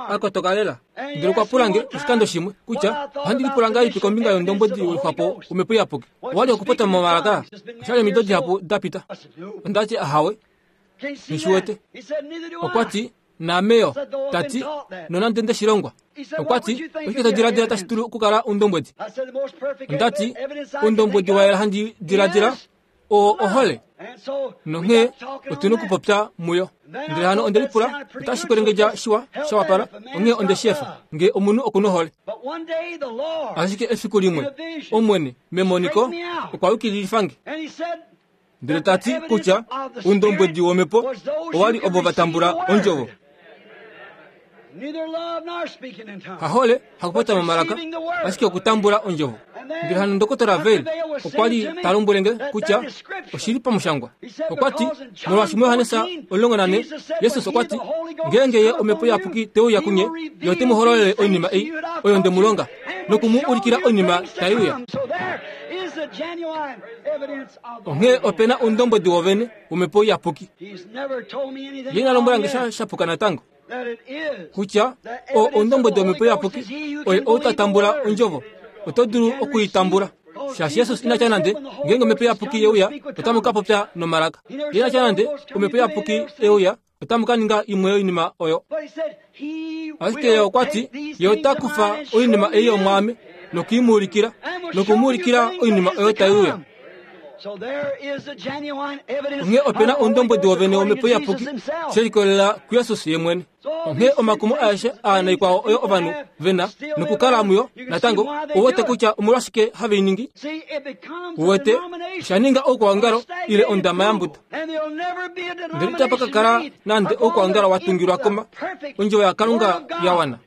Akotoka lela. Ndele okwa pula nge oshikando shimwe kutya ohandi lipula ngahelipi kombinga yondombwedi welixwapo womhepo iyapuki. Owali okupopya momalaka. Oshali omido dihapu da pita. Onda ti ahawe. Nghishi wete. Okwa ti naameyo tati nonande nde shilongwa. Okwa ti oshike to diladila tashi dulu okukala ondombwedi? Onda ti ondombwedi wa yela handi diladila oo ohole. Nonghee otuna okupopya muyo. Ndele hano onde lipula otashi kwelengedja shiwa sha wapala, onghee onde shi efa nge omunhu okuna ohole. Ashike efiku limwe Omwene memoniko okwa yukililifa nge. Ndele ta ti kutya oundombwedi womhepo owa li ovo va tambula ondjovo. Hahole hakupopya momalaka, ashike okutambula ondjovo. Ndele hano Ndokotola Vail okwa li ta lombwele nge kutya oshili pamushangwa. Okwa ti molwaashi muJohannes omulongo nane Jesus okwa ti ngeenge ye omhepo iyapuki te uya kunye, ye ote mu hololele oinima ei oyo nde mu longa noku mu ulikila oinima tai uya. Onghee ope na oundombwedi wovene womhepo iyapuki. Ye ina lombwela nge sha shapuka natango kutya oo oundombwedi womhepo iyapuki oye ou ta tambula ondjovo. Oto dulu okuitambula. Shaashi Jesus ina tya nande ngeenge omhepo iyapuki ye uya otamu ka popya nomalaka. Ye ina tya nande omhepo iyapuki ye uya otamu ka ninga imwe yoinima oyo. Ashike ye okwa ti ye ota kufa oinima ei yomwaame nokuimuulikila nokumuulikila oinima oyo tai uya. Onghee ope na oundombwedi wovene womhepo iyapuki she likolelela kuJesus ye mwene. Onghee omakumo aeshe aa naikwao oyo ovanhu vena nokukala muyo natango ouwete kutya omolwashike have i ningi. Uwete osha ninga oukwaongalo ile ondama yambuta. Ndele itapa ka kala nande oukwaongalo wa tungilwa koma ondjovo yaKalunga ya wana.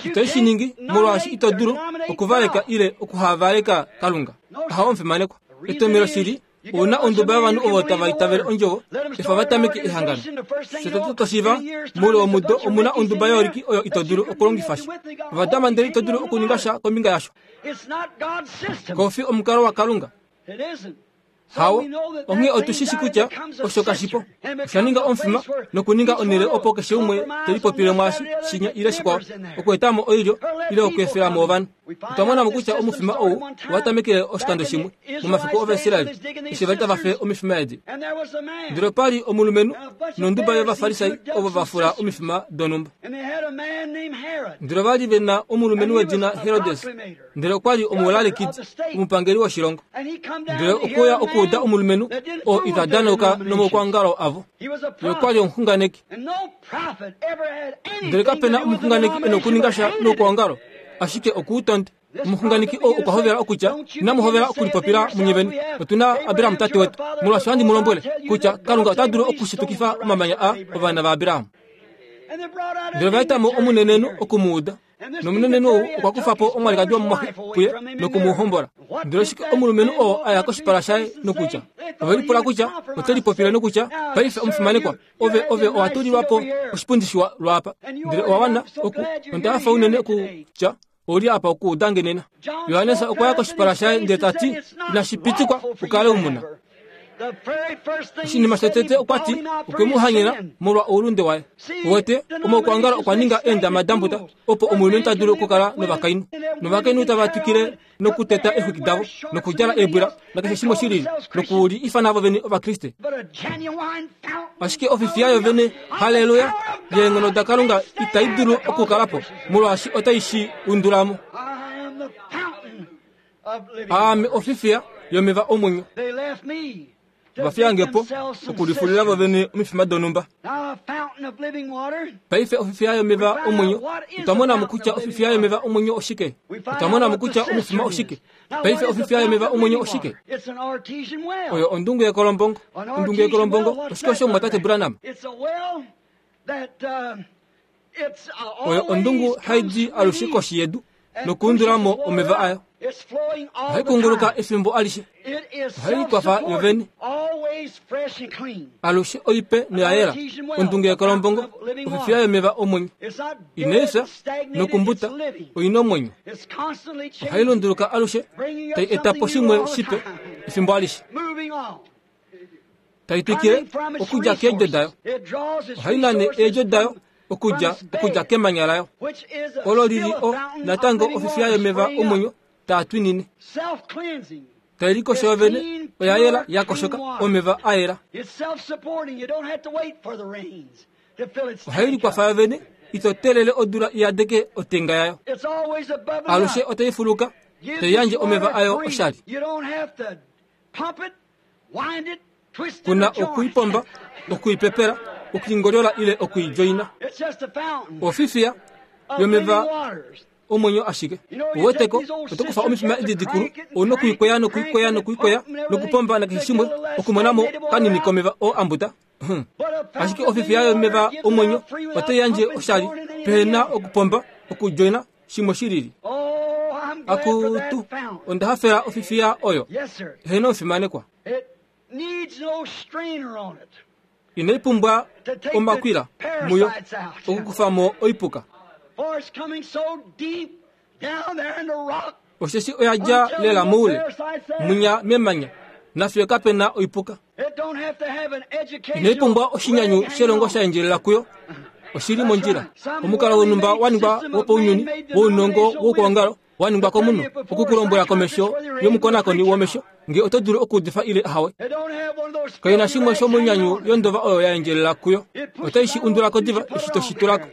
Ito shi ningi molwaashi ito dulu okuvaleka ile okuhavaleka Kalunga. Ahawe omufimanekwa. Etomelo shili ouna onduba yovanhu ovo tava itavele ondjovo efa va tameke ehangano. Shotete toshiiva moule womudo omuna onduba yooliki oyo ito dulu okulongifa sha. Ovadama ndele ito dulu okuninga sha kombinga yasho. Kofi omukalo waKalunga. Hawo, onghee otu shi shi kutya osho kashipo. Osha ninga omufima nokuninga onhele opo keshe umwe te lipopile mwaashi shinya ile shikwao, okuetamo oilyo ile okuefelamo ovanhu. Otwa monamo kutya omufima ou owa tamekele oshikando shimwe momafiku Ovaisraeli eshi vali tava fe omifima edi. Ndele opa li omulumenhu nonduba yOvafarisai ovo va fula omifima donhumba. Ndele ova li ve na omulumenhu wedina Herodes, ndele okwa li omulalekidi, omupangeli woshilongo. Ndele okwe uya okuuda omulumenhu oo ita danauka nomaukwaongalo avo. Ye okwa li omuxunganeki. Ndele kape na omuxunganeki e na okuninga sha noukwaongalo, ashike okuutonde. Omuxunganeki oo okwa hovela okutya, inamu hovela okulipopila munye vene. Otu na Abraham tate wetu. Molwaashi ohandi mu lombwele kutya Kalunga ota dulu okushitukifa omamanya a ovana vaAbraham. Ndele ova etamo omunenenhu oku mu uda. Nomunenenhu ou okwa kufa po omwalikadi womumwaxe puye noku mu hombola. Ndele oshike omulumenhu oo a ya koshipala shaye nokutya, ove lipula kutya ote lipopile nokutya, paife omufimanekwa, ove ove owa tulilwa po oshipundi shiwa lwaapa. Ndele owa wana oku, onda hafa unene okutya ouli apa okuuda nge nena. Johannes okwa ya koshipala shaye ndele ta ti, inashi pitikwa ukale umuna. Oshinima shotete okwa ti okwe mu hanyena molwa oulunde waye. Uwete, omaukwaongalo okwa ninga eendama dambuta opo omulumenhu ta dulu okukala novakainhu. Novakainhu tava twikile nokuteta eexwiki davo, nokudjala eebwila, nakeshe shimwe shi lili, noku li ifana vo vene Ovakriste. Ashike ofifiya yo vene, haleluya, yeenghono daKalunga itai dulu okukala po, molwaashi otai shi undula mo. Aame ofifiya yomeva omwenyo. Vafiyange po okulifulila vo vene omifima donhumba. Paife ofifiya yomeva omwenyo, otwa mona mo kutya ofifiya yomeva omwenyo oshike. Otwa mona mo kutya omufima oshike. Paife ofifiya yomeva omwenyo oshike? Oyo ondungu yekolombongo. Ondungu yekolombongo oshike osho mwatate Branham? Oyo ondungu hai di alushe koshi yedu nokuundula mo omeva ayo. Ohai kunguluka efimbo alishe. Ohai likwafa yo vene. Alushe oipe noya yela. Ondungu yekolombongo ofifiya yomeva omwenyo. Inai fya nokumbuta, oina omwenyo. Ohai lunduluka alushe, tai eta po shimwe shipe efimbo alishe. Tai twikile okudja keedjo dayo. Ohai nane eedjo dayo okudja okudja kemanya layo. Olo lili o natango ofifiya yomeva omwenyo taa twinine. Tai likosho yovene, oya yela ya koshoka, omeva a yela. Ohai likwafa yovene, ito telele odula iyadeke otenga yayo. Alushe otai fuluka, tai yandje omeva ayo oshali. Kuna okuipomba, okuipepela, okuingolyola ile okuijoina. Ofifiya yomeva omwenyo ashike. Uweteko, oto kufa omifima edi dikulu, ouna okuikweya nokuikweya nokuikweya nokupomba nakeshe shimwe okumona mo kanini komeva oo ambuta. Ashike ofifiya yomeva omwenyo otai yandje oshali pehena okupomba, okujoina shimwe shi lili. Akutu, onda hafela ofifiya oyo. Hena omufimanekwa. Inai pumbwa omakwila muyo okukufa mo oipuka. Osheshi oya dja lela moule, munya memanya, nafiyo kape na oipuka. Inai pumbwa oshinyanyu shelongo sha endjelela kuyo. Oshili mondjila. Omukalo wonhumba wa ningwa wopaunyuni, wounongo woukwaongalo wa ningwa komunhu, okukulombwela komesho yomukonakoni womesho nge oto dulu okuudifa ile ahawe. Kaina shimwe shomonyanyu yondova oyo ya endjelela kuyo. Otai shi undulako diva eshi to shi tulako.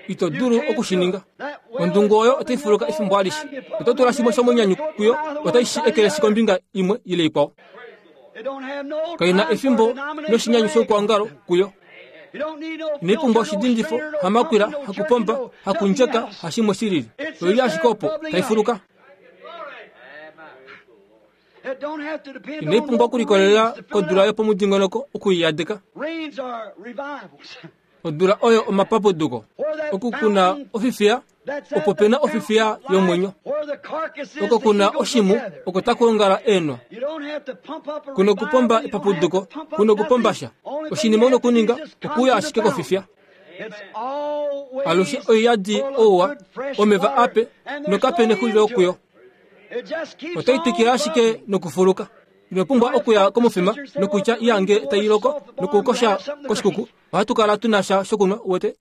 Ito dulu okushininga. Ondungu oyo otai fuluka efimbo alishe. Oto tula shimwe shomonyanyu kuyo, otai shi ekeleshi kombinga imwe ile ikwao. Kaina efimbo noshinyanyu shoukwaongalo kuyo. Inai pumbwa oshidindifo, hamakwila, hakupomba, hakundjeka, hashimwe shi lili. Oili ashike opo tai fuluka. Inai pumbwa okulikolelela kodula yopomudingonoko okuiyadeka. Odula oyo omapapuduko. Oku kuna ofifiya, opo pena ofifiya yomwenyo. Oko kuna oshimu, oko taku ongala eenwa. Kuna okupomba epapuduko, kuna okupomba sha. Oshinima una okuninga, okuya ashike kofifiya. Alushe oiyadi ouwa, omeva ape, nokape nexulilo kuyo. Otai twikile ashike nokufuluka. Ino pumbwa okuya komufima nokutya iyange tai loko nokukosha koshikuku. Ohatu kala tuna sha shokunwa, uwete.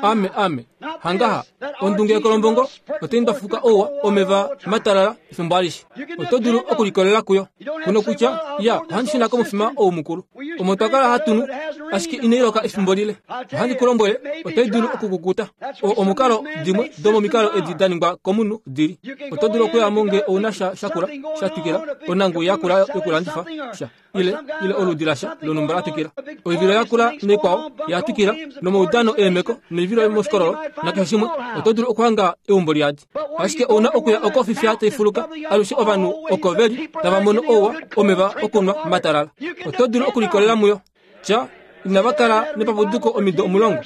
Ame, ame. Hangaha, ondungu yekolombongo otai ndwafuka ouwa omeva matalala efimbo alishe. Oto dulu okulikolela kuyo. Kuna kutya, ya, ohandi shuna komufima ou mukulu. Omo twa kala hatu nu, ashike inai loka efimbo lile. Ohandi ku lombwele, otai dulu okukukuta. O omukalo dimwe domomikalo edi da ningwa komunhu dili. Oto dulu okuya mo nge ouna sha shakula, sha twikila, onangu yakula yokulandifa sha, ile, ile oludi lasha lonhumba la twikila. Oivilo yakula naikwao ya twikila, nomaudano eemeko, noivilo yomoshikololo, nakeshe shimwe, oto dulu okuhanga eumbo liyadi. Ashike ouna okuya oko ofifiya tai fuluka, alushe ovanhu oko veli tava mono ouwa omeva okunwa matalala. Oto dulu okulikolela muyo. Tya, inava kala nepapuduko omido omulongo.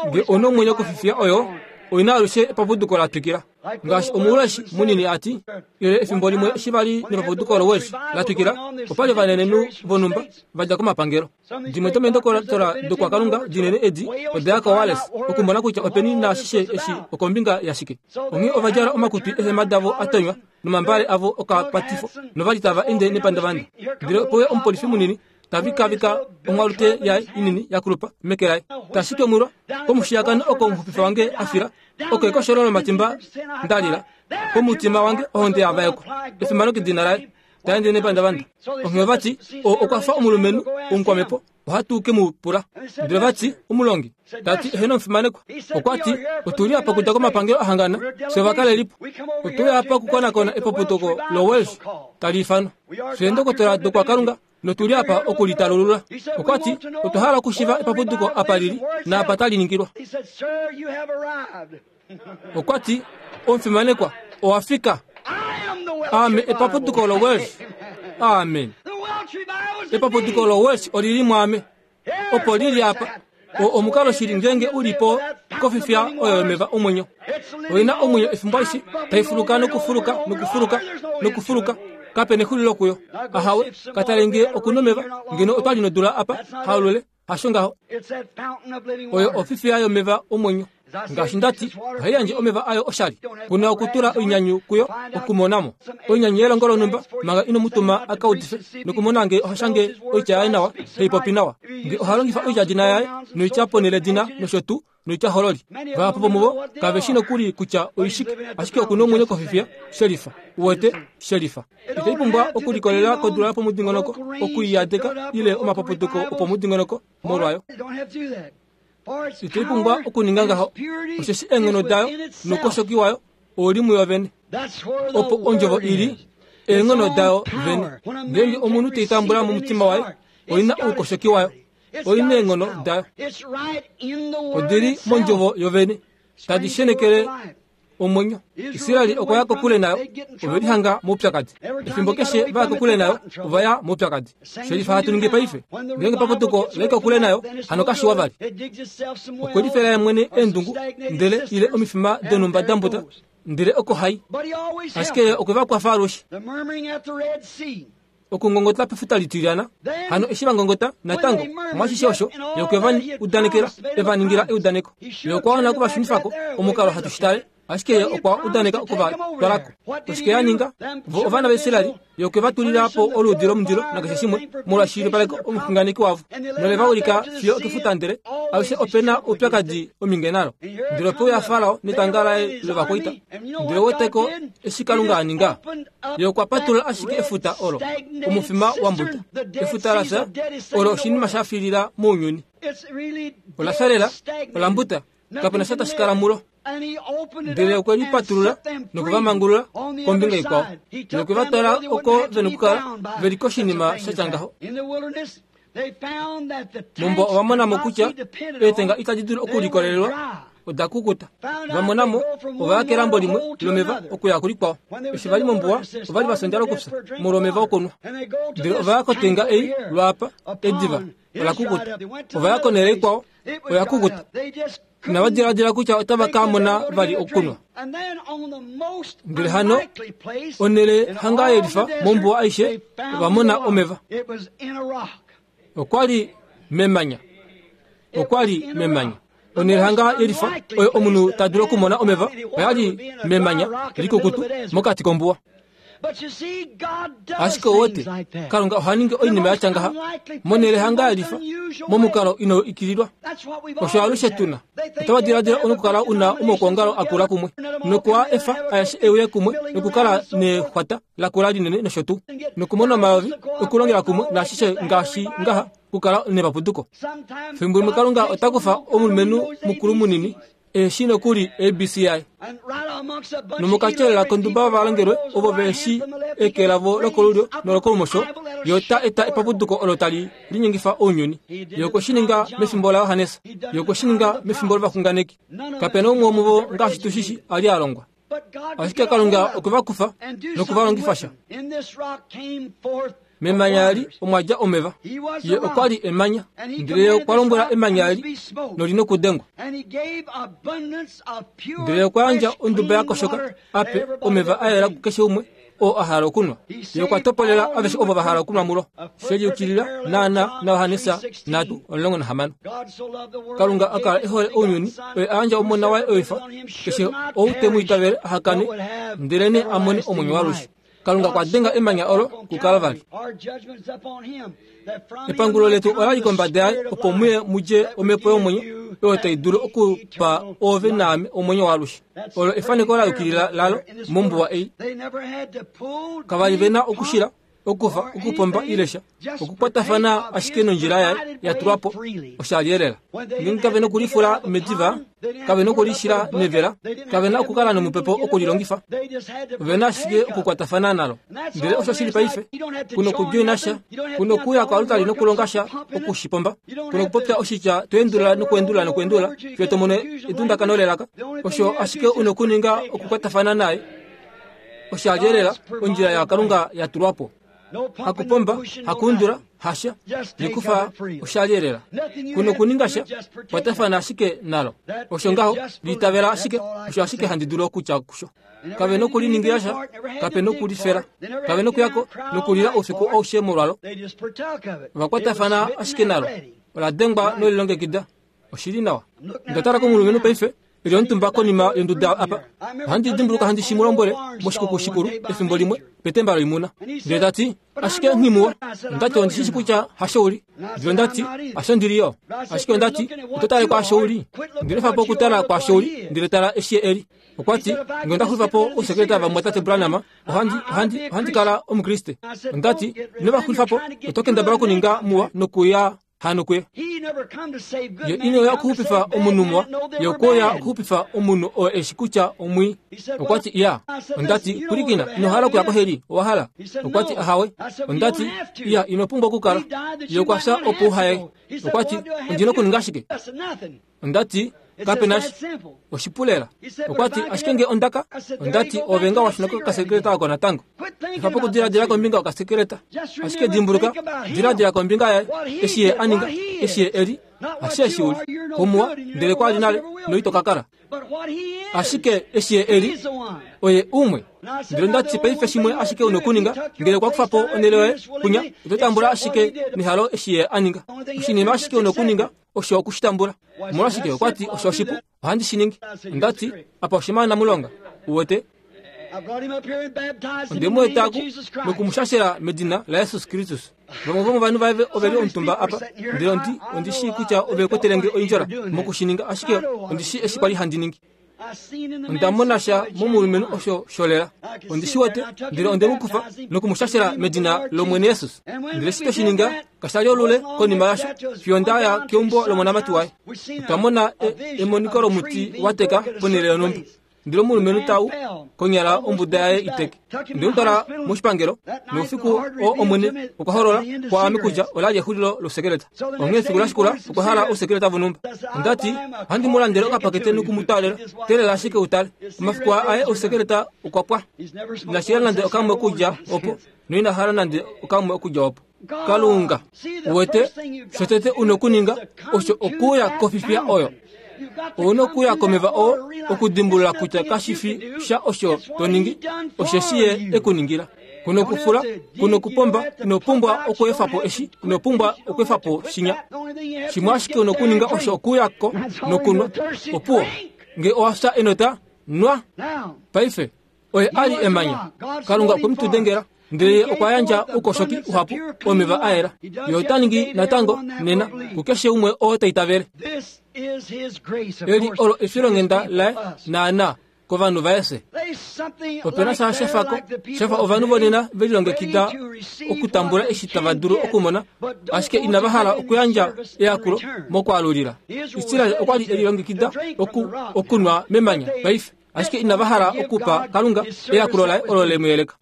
Nge ouna omwenyo kofifiya oyo, Oina alushe epapuduko la twikila. Ngaashi omuuleshi munini ati, ile efimbo limwe eshi vali nepapuduko loWelsh la twikila, opa li vanenenhu vonhumba va dja komapangelo. Dimwe domeendokotola dokwakalunga dinene edi oda ya koWales okumona kutya openi naashishe eshi okombinga yashike. Onghee ova djala omakutu eehema davo a tonywa nomambale avo okapatifo novali tava ende nepandavanda. Ndele opo uya omupolifi munini tavikavika onghwalute yaye inini yakulupa meke laye. Tashike mwilwa komushiyakano oko omuxupifi wange a fila, oko ekosholo lomatimba nda lila, komutima wange ohonde yavaekwa, efimano kedina laye, taende nepandavanda. Onghee vati okwa fa omulumenhu omukwamepo, ohatu ke mu pula. Ndele vati omulongi tati eheno omufimanekwa, okwa ti otuli apa okudja komapangelo ahangana fye ovakalelipo. Otuli apa okukonakona epapuduko loWelsh tali ifanwa. Fye eendokotola dokwakalunga notuli apa okulitalulula. Okwa ti otwa hala okushiva epapuduko apa lili naapa tali ningilwa. Okwa ti omufimanekwa owa fika. Aame epapuduko loWelsh. Amen. Epapuduko loWelsh olili mwaame. Opo lili apa. O omukalo shili ngeenge ulipo kofifya oyo yomeva omwenyo. Oina omwenyo efimbo alishe taifuluka nokufuluka nokufuluka nokufuluka. Kape nexulilo kuyo. Ahawe katale nge okunomeva ngeno otwali nodula apa haulule hasho ngaho. Oyo ofifya yomeva omwenyo. Ngaashi ndati ohai yandje omeva ayo oshali. Kuna okutula oinyanyu kuyo okumonamo. Oinyanyu yelongo lonhumba manga ino mutuma a ka udife nokumona nge oha shange oitya yaye nawa taipopi nawa. Nge oha longifa oityadina yaye noitya poneledina nosho tuu noitya hololi. Vahapu vomuvo kave shi nokuli kutya oishike, ashike okuna omwenyo kofifya shelifa. Uwete shelifa. Itai pumbwa okulikolelela kodula yopomudingonoko okuiyadeka ile omapapuduko opomudingonoko molwayo. Itai pumbwa okuninga ngaho, osheshi eenghono dayo noukoshoki wayo ouli muyo vene. Opo ondjovo ili eenghono dayo vene. Ngeenge omunhu teitambula momutima waye, oina oukoshoki wayo, oina eenghono dayo. Odili mondjovo yovene, tadi shenekele omwenyo. Israeli okwa ya kokule nayo, ove lihanga moupyakadi. Efimbo keshe va ya kokule nayo, ova ya moupyakadi. Shelifa hatu ningi paife. Ngeenge paputuko lai kokule nayo, hano kashiwa vali. Okwe lifela ye mwene eendungu, ndele ile omifima donhumba da mbuta, ndele oko hai. Ashike ye okwe va kwafa alushe. Okungongota pefuta litilyana, hano eshi va ngongota natango omwashishe osho ye okwe va udanekela, e va ningila eudaneko. Ye okwa wana okuvashunifako omukalo hatu shi tale, ashike ye okwa udaneka okuvatwalako. Oshike ya ninga? Vo ovana vaIsraeli, ye okwe va tulila po oluudi lomundilo nakeshe shimwe molwashilipaleko omuxunganeki wavo, nole va ulika fiyo okefuta, ndele alushe ope na oupyakadi ominge nalo. Ndele ope uya Farao netanga laye lovakwaita, ndele weteko eshi Kalunga a ninga. Ye okwa patulula ashike efuta olo, omufima wa mbuta. Efuta la fya olo oshinima sha filila mounyuni. Ola fya lela, ola mbuta, kapena sha tashi kala mulo. Ndele okwe li patulula nokuvamangulula kombinga ikwao, nokwe va twala oko ve nokukala ve li koshinima sha tya ngaho. Mombuwa ova mona mo kutya eetenga itadi dulu okulikolelelwa, oda kukuta. Va mona mo ova ya kelambo limwe lomeva okuya kulikwao. Eshi va li mombuwa ova li va fya ondjala okufya molwomeva okunwa. Ndele ova ya kotenga ei lwaapa, ediva ola kukuta. Ova ya konhele ikwao, oya kukuta. Inava diladila kutya otava ka mona vali okunwa. Ndele hano onhele hanga yelifa mombuwa aishe ova mona omeva. Okwa li memanya. Okwa li memanya. Onhele hanga yelifa oyo omunhu ta dulu okumona omeva oya li memanya likukutu mokati kombuwa. Ashike owote Kalunga oha ningi oinima ya tya ngaha monhele hanga yelifa momukalo ino ikililwa. Osho alushe tuna. Otava diladila onokukala una omaukongalo akula kumwe nokuwa efa aeshe euye kumwe nokukala nexwata lakula linene nosho tuu nokumona omayovi okulongela kumwe naashishe ngaashi ngaha kukala nepapuduko. Fimbo limwe Kalunga ota kufa omulumenhu mukulu munini eshi nokuli A B C I nomokatyelela konduba vovalongelwe ovo ve shi eke lavo lokolulyo nolokolumosho, ye ota eta epapuduko olo tali linyengifa ounyuni. Ye okwe shi ninga mefimbo laJohannes, ye okwe shi ninga mefimbo lovaxunganeki. Kape na umwe womuvo ngaashi tu shi shi a li a longwa. Ashike Kalunga okwe va kufa nokuva longifa sha. Memanya eli omwa dja omeva. Ye okwa li emanya, ndele ye okwa lombwela emanya eli noli nokudengwa. Ndele okwa yandja onduba ya koshoka ape omeva a yela kukeshe umwe oo a hala okunwa. Ye okwa topolela aveshe ovo va hala okunwa mulo. She liyukilila naana naJohannes nhatu omulongo nahamano. Kalunga a kala e hole ounyuni, oye a yandja omona waye oifa, keshe ou te mu itavele aha kane, ndelenee a mone omwenyo waalushe. Kalunga okwa denga emanya olo kuKalvari. Epangulo letu ola li kombada yaye opo muye mudje omhepo yomwenyo oyo tai dulu okupa ove naame omwenyo waalushe. Olo efaneko la yukilila lalo mombuwa ei. Kava li ve na okushila, okufa, okupomba ile sha, okukwatafana ashike nondjila yaye ya tulwa po oshalielela. Ngeenge kave nokulifula mediva, kave nokulishila nevela, kave na okukala nomupepo okulilongifa, ove na ashike okukwatafana nalo. Ndele osho shili paife, kuno okudjoina sha, kuno okuya koalutali nokulonga sha okushipomba, kuno okupopya oshitya toendulula nokuendulula nokuendulula fiyo to mono edundakano lelaka. Osho ashike una okuninga okukwatafana naye. Oshalielela ondjila yaKalunga ya tulwa po. Hakupomba, hakuundula, hasha, likufa oshalielela. Kuno okuninga sha, kwatafana ashike nalo. Osho ngaho, liitavela ashike, osho ashike handi dulu okutya kusho. Kave nokuliningila sha, kape nokulifela, kave nokuyako nokulila oufiku aushe molwalo. Ovakwatafana ashike nalo. Ola dengwa nolilongekida. Oshili nawa. Nda tala komulumenhu paife, eli omutumba konima yonduda apa. Ohandi dimbuluka handi shi mu lombwele moshikuku shikulu efimbo limwe petemba loimuna. Ndele ta ti, ashike nghimuwa. Ondati ondi shishi kutya hasho uli. Ndele ondati, hasho ndili yo. Ashike ondati, oto tale kwaasho uli. Ndele efa po okutala kwaasho uli, ndele tala eshi eli. Okwa ti, ngee onda xulifa po ousekeleta vamwatate Branham, ohandi, ohandi, ohandi kala Omukriste. Ondati, ino va xulifa po, oto kendabala okuninga muwa nokuya hano kuye. Ye ine oya okuxupifa omunhu muwa, ye okwe uya okuxupifa omunhu oo eshi kutya omwii. Okwa ti, iya. Ondati, pwilikina, ino hala okuya koheli, owa hala? Okwa ti, ahawe. Ondati, iya, ino pumbwa okukala. Ye okwa fya opo uhaye. Okwa ti, ondi na okuninga shike? Ondati, kape na sha. Oshipulela. Okwa ti, ashike ngee ondaka? Ondati, ove nga wa shuna kokasekeleta oko natango. Efa po okudiladila kombinga yokasekeleta. Ashike dimbuluka, diladila kombinga yaye, eshi ye a ninga, eshi ye e li, hashe eshi u li. Kumuwa, ndele kwa li nale, noito ka kala. Ashike eshi ye e li, oye umwe. Ndele ondati paife shimwe ashike una okuninga, ngele okwa kufa po onhele yoye, kunya, oto tambula ashike nehalo eshi ye a ninga. Oshinima ashike una okuninga, osho okushitambula. Omolwashike okwa ti osho oshipu, ohandi shi ningi. Ondati, apa oshimana mulonga, uwete. Onde mu eta ku nokumushashela medina laJesus Kristus. Vamwe vomovanhu vaye ove li omutumba apa, ndele ondi, ondi shii kutya ove kwetele nge oindjola mokushininga, ashike ondi shii eshi kwali handi ningi. Onda mona sha momulumenhu osho sholela. Ondi shi wete, ndele onde mu kufa nokumushashela medina lOmwene Jesus. Ndele eshi twe shi ninga, kasha li olule konima yasho, fiyo nda ya keumbo lomonamati waye. Otwa mona e, emoniko lomuti wa teka ponhele yonhumba. Ndele omulumenhu tau konyala ombuda yaye iteke. Onde mu twala moshipangelo, noufiku oo Omwene okwa holola kwaame kutya ola li exulilo losekeleta. Onghee efiku la shikula okwa hala ousekeleta vonhumba. Onda ti, ohandi mu landele okapakete noku mu twaalela. Teelela ashike u tale. Omafiku aye ousekeleta okwa pwa. Ina shila nande okamwe okudja opo, noina hala nande okamwe okudja opo. Kalunga, uwete, shotete una okuninga osho okuuya kofifiya oyo. Ouna okuya komeva oo okudimbulula kutya kashi fi sha osho to ningi, osheshi ye e ku ningila. Kuna okufula, kuna okupomba, ino pumbwa okweefa po eshi, ino pumbwa okweefa po shinya. Shimwe ashike una okuninga osho okuuya ko nokunwa. Opuwo, nge owa fya enota, nwa. Paife, oye a li emanya. Kalunga okwe mu tu dengela. Ndele ye okwa yandja oukoshoki uhapu omeva a yela. Ye ota ningi natango nena kukeshe umwe oo ta itavele. Eli olo efilonghenda laye naana kovanhu vaye fye. Ope na sha shafako, shafa ovanhu vonena ve lilongekida okutambula eshi tava dulu okumona, ashike inava hala okuyandja eyakulo mokwaalulila. Israel okwa li e lilongekida oku, okunwa memanya paife. Ashike inava hala okupa Kalunga eyakulo laye olo le mu yeleka.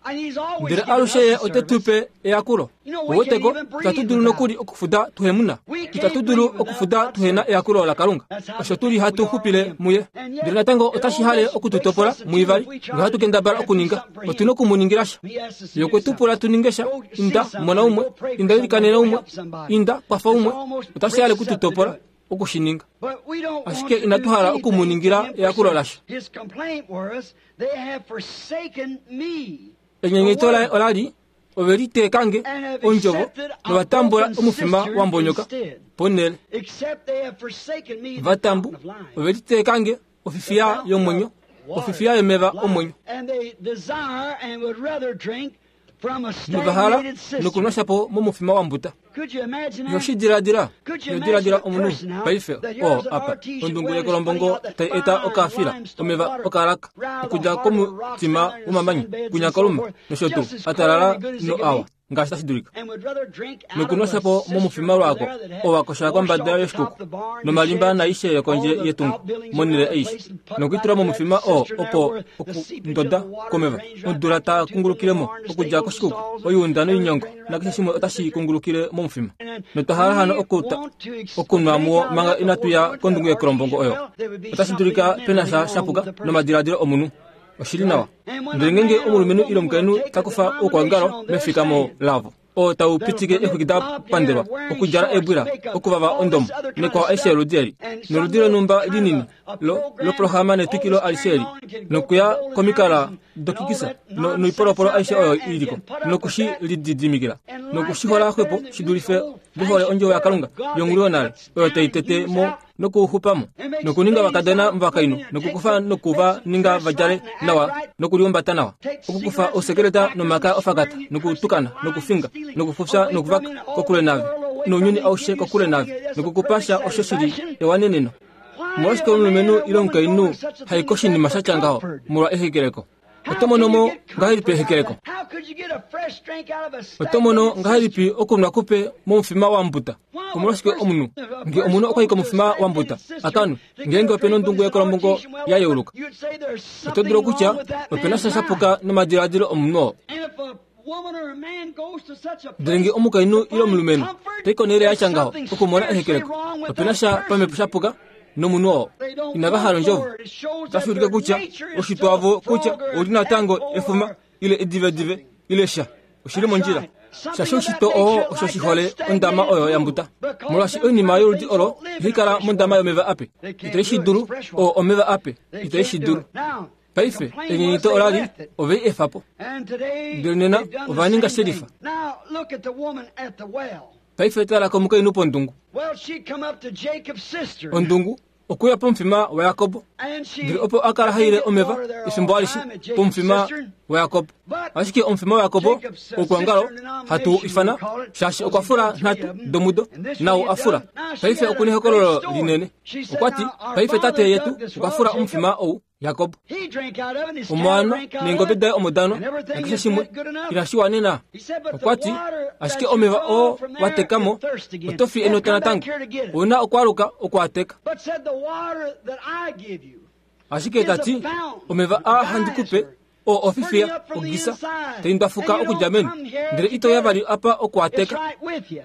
Ndele alushe ye ote tu pe eyakulo. Ouweteko, itatu dulu nokuli okufuda tuhemuna. Itatu dulu okufuda tuhena eyakulo laKalunga. Osho tuli hatu xupile muye. Ndele natango otashi hale okututopola muivali, nohatu kendabala okuninga. Otu na okumuningila sha. Ye okwe tu pula tu ninge sha. Inda mona umwe, inda ilikanena umwe, inda kwafa umwe. Otashi hale okututopola okushininga. Ashike inatu hala okumuningila eyakulo lasha. Enyenyeto laye olali ove liteekange ondjovo novatambula omufima wa mbonyoka ponhele. Vatambu ove liteekange ofifiya yomwenyo, ofifiya yomeva omwenyo. Novahala nokunwa shapo momufima wa mbuta. Yoshidiladila, yodiladila omunhu paife oo apa ondungu yekolombongo tai eta okafila omeva okalaka okudja komutima womamanya kunyakoluma nosho tuu atalala no awa ngaashi tashi dulika nokunwa shapo momufima lwako owakosha kombada yoshikuku nomalimba naishe yokondje yetungo monhele aishe nokuitula momufima oo opo okundoda komeva odula ta kungulukilemo okudja koshikuku oyuunda noinyongo nakeshe shimwe otashi kungulukile momufima. Notwa hala hano okuta okunwa muwo manga inatu ya kondungu yekolombongo oyo. Otashi dulika pena sha shapuka nomadiladilo omunhu. Oshili nawa. Ndele ngeenge omulumenhu ile omukainhu ta kufa oukwangalo mefikamo lavo oo tau pitike exwiki da pandelwa okudjala eebwila okuvava ondomo nekwao aishe yoludi eli noludi lonhumba linini loprograma netwikilo alishe eli nokuya komikala dokikisa noipolopolo aishe oyo iliko nokushi lididimikila nokushihola xwepo shi dulife vehole ondjovo yaKalunga yongulu yonale oyo tai tete mo nokuxupamo nokuninga vakadona vakainhu nokukufa nokuva ninga vadjale nawa nokuliumbata nawa okukufa ousekeleta nomaka ofakata nokutukana nokufinga nokufufya nokuvaka kokule nave nounyuni aushe kokule nave nokukupasha osho shili ewaneneno. Omolwashike omulumenhu ile omukainhu hai koshinima sha tya ngaho molwa ehekeleko? Oto mono mo ngahelipi ehekeleko? Oto mono ngahelipi okunwa kupe momufima wa mbuta? Omolwashike omunhu nge omunhu okwa i komufima wa mbuta akanwe ngeenge opena ondungu yekolombongo ya yeuluka? Oto dulu okutya opena sha shapuka nomadiladilo omunhu oo. Ndele nge omukainhu ile omulumenhu tai konhele ya tya ngaho okumona ehekeleko, opena sha pamhepo shapuka nomunhu oo. Inava hala ondjovo. Otashi ulike kutya oshitwa wavo kutya oli natango efuma ile edivedive ile sha. Oshili mondjila. Shaashi oshitwa oo osho shihole ondama oyo ya mbuta. Molwaashi oinima yoludi olo ihai kala mondama yomeva ape. Itai shi dulu oo omeva ape. Itai shi dulu. Paife enyenyeto olali ove i efa po. Ndele nena ova ninga shelifa. Paife tala komukainhu pondungu. Ondungu okuya pomufima waJakob. Ndele opo a kala haile omeva efimbo alishe pomufima waJakob. Ashike omufima waJakob oukwangalo hatu ifana shaashi okwa fula nhatu domudo nau a fula. Paife okuna ehokololo linene. Okwa ti paife tate yetu okwa fula omufima ou Jakob. Omwana neengobe daye omo danwa nakeshe shimwe inashi wanena. Okwa ti ashike omeva oo watekamo oto fi enota natango. Ouna okwaluka okuateka. Ashike tati omeva a handi kupe oo ofifiya ogisa tai ndwafuka okudja meni ndele ito ya vali apa okuateka.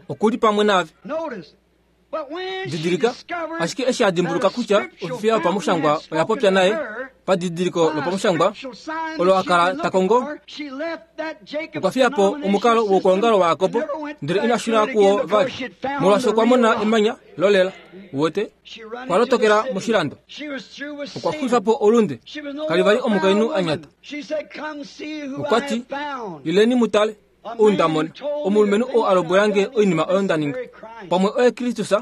Okuli pamwe nave. Didilika, ashike eshi a dimbuluka kutya ofifiya yopamushangwa oya popya naye padidiliko lopamushangwa olo a kala ta kongo, okwa fiya po omukalo woukwangalo waJakob ndele ina shuna kuwo vali molwaashi okwa mona emanya lolela. Uwete, okwa lotokela moshilando. Okwa xulifa po olunde. Kali vali omukainhu a nyata. Okwa ti, ileni mu tale ou nda mona, omulumenhu oo a lombwela nge oinima oyo nda ninga. Pamwe oye Kristus.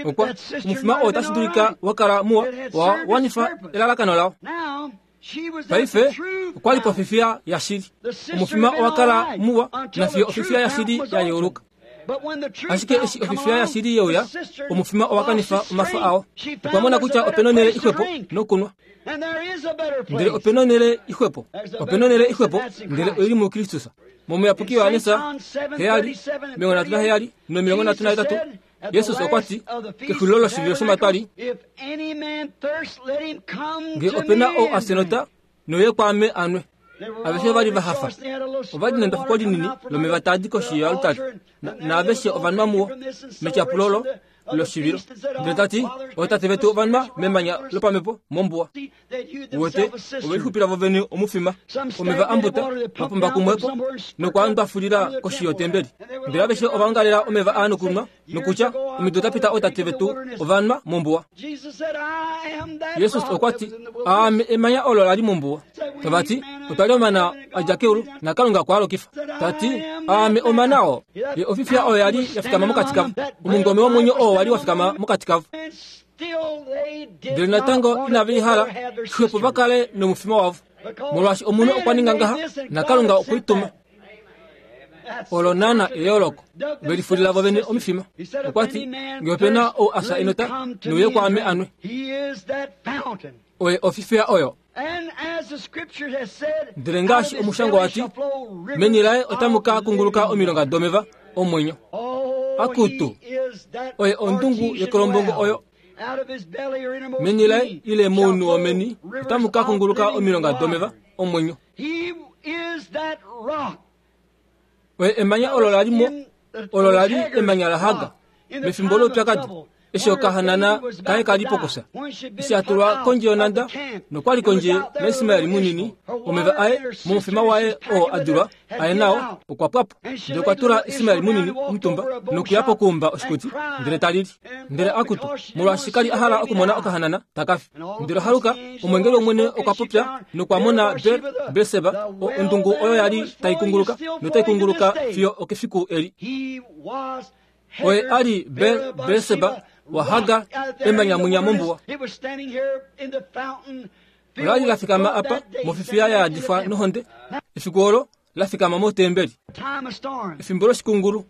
Okwa omufima oo otashi dulika wa kala muwa wa wanifa elalakano lao. Paife okwa li pofifiya yashili. Omufima owa kala muwa nafiyo ofifiya yashili ya yeuluka. Ashike eshi ofifiya yashili yeuya, omufima owa kanifa omafo ao. Okwa mona kutya opena onhele ixwepo nokunwa. Ndele opena onhele ixwepo, opena onhele ixwepo, ndele oili muKristus. Momuyapuki Johannes heyali, omilongo nhatu naheyali nomilongo nhatu nahetatu, Jesus okwa ti kexulilo loshivilo shomatwali, ngee ope na ou a senota noye kwaame anwe. Aveshe ova li va hafa. Ova li nendofoko linini lomeva taa di koshi yoaltari, naaveshe ova nwa muwo metyapulo loshivilo. Ndele ta ti, ootate vetu ova nwa memanya lopamhepo mombuwa. Uwete, ove lixupila vovene omufima, omeva ambuta va pomba kumwepo nokwa ndwafulila koshi yotembeli. Ndele aveshe ova ongalela omeva aa nokunwa, nokutya omido da pita ootate vetu ova nwa mombuwa. Jesus okwa ti, aame emanya olo la li mombuwa. Tava ti, otwa li omana a dja keulu naKalunga okwa alokifa. Ta ti, aame omana oo. Ye ofifiya oyo ya li ya fikama mokati kavo, omungome womwenyo oo wa li wa fikama mokati kavo. Ndele natango inave i hala, xwepo va kale nomufima wavo, molwaashi omunhu okwa ninga ngaha naKalunga okwe i tuma. Olo naana eyooloko, ve lifulila vovene omifima. Okwa ti, ngee ope na ou a fya enota, nouye kwaame anwe. Oye ofifiya oyo. Ndele ngaashi omushangwa wa ti, meni laye otamu ka kunguluka omilonga domeva omwenyo. Akutu, oye ondungu yekolombongo oyo. Meni laye ile mounhu womeni otamu ka kunguluka omilonga domeva omwenyo. Oye emanya olo la li mo, olo la li emanya la Haga mefimbo loupyakadi, eshi okahanana kaye ka li pokusa, eshi a tulwa kondje yonhanda nokwa li kondje naIsmael munini, omeva aye momufima waye oo a dulwa aye nao okwa pwa po. Ndele okwa tula Ismael munini omutumba nokuya pokuumba oshikuti, ndele ta lili. Ndele akutu, molwaashi ka li a hala okumona okahanana taka fi. Ndele haluka omwengeli wOmwene okwa popya nokwa mona Berseba, ondungu oyo ya li tai kunguluka notai kunguluka fiyo okefiku eli. Oye a li Berseba waHagar, emanya munya mombuwa. Ola li la fikama apa mofifiya ya yadifwa nohonde. Efiku olo la fikama motembeli. Efimbo loshikungulu.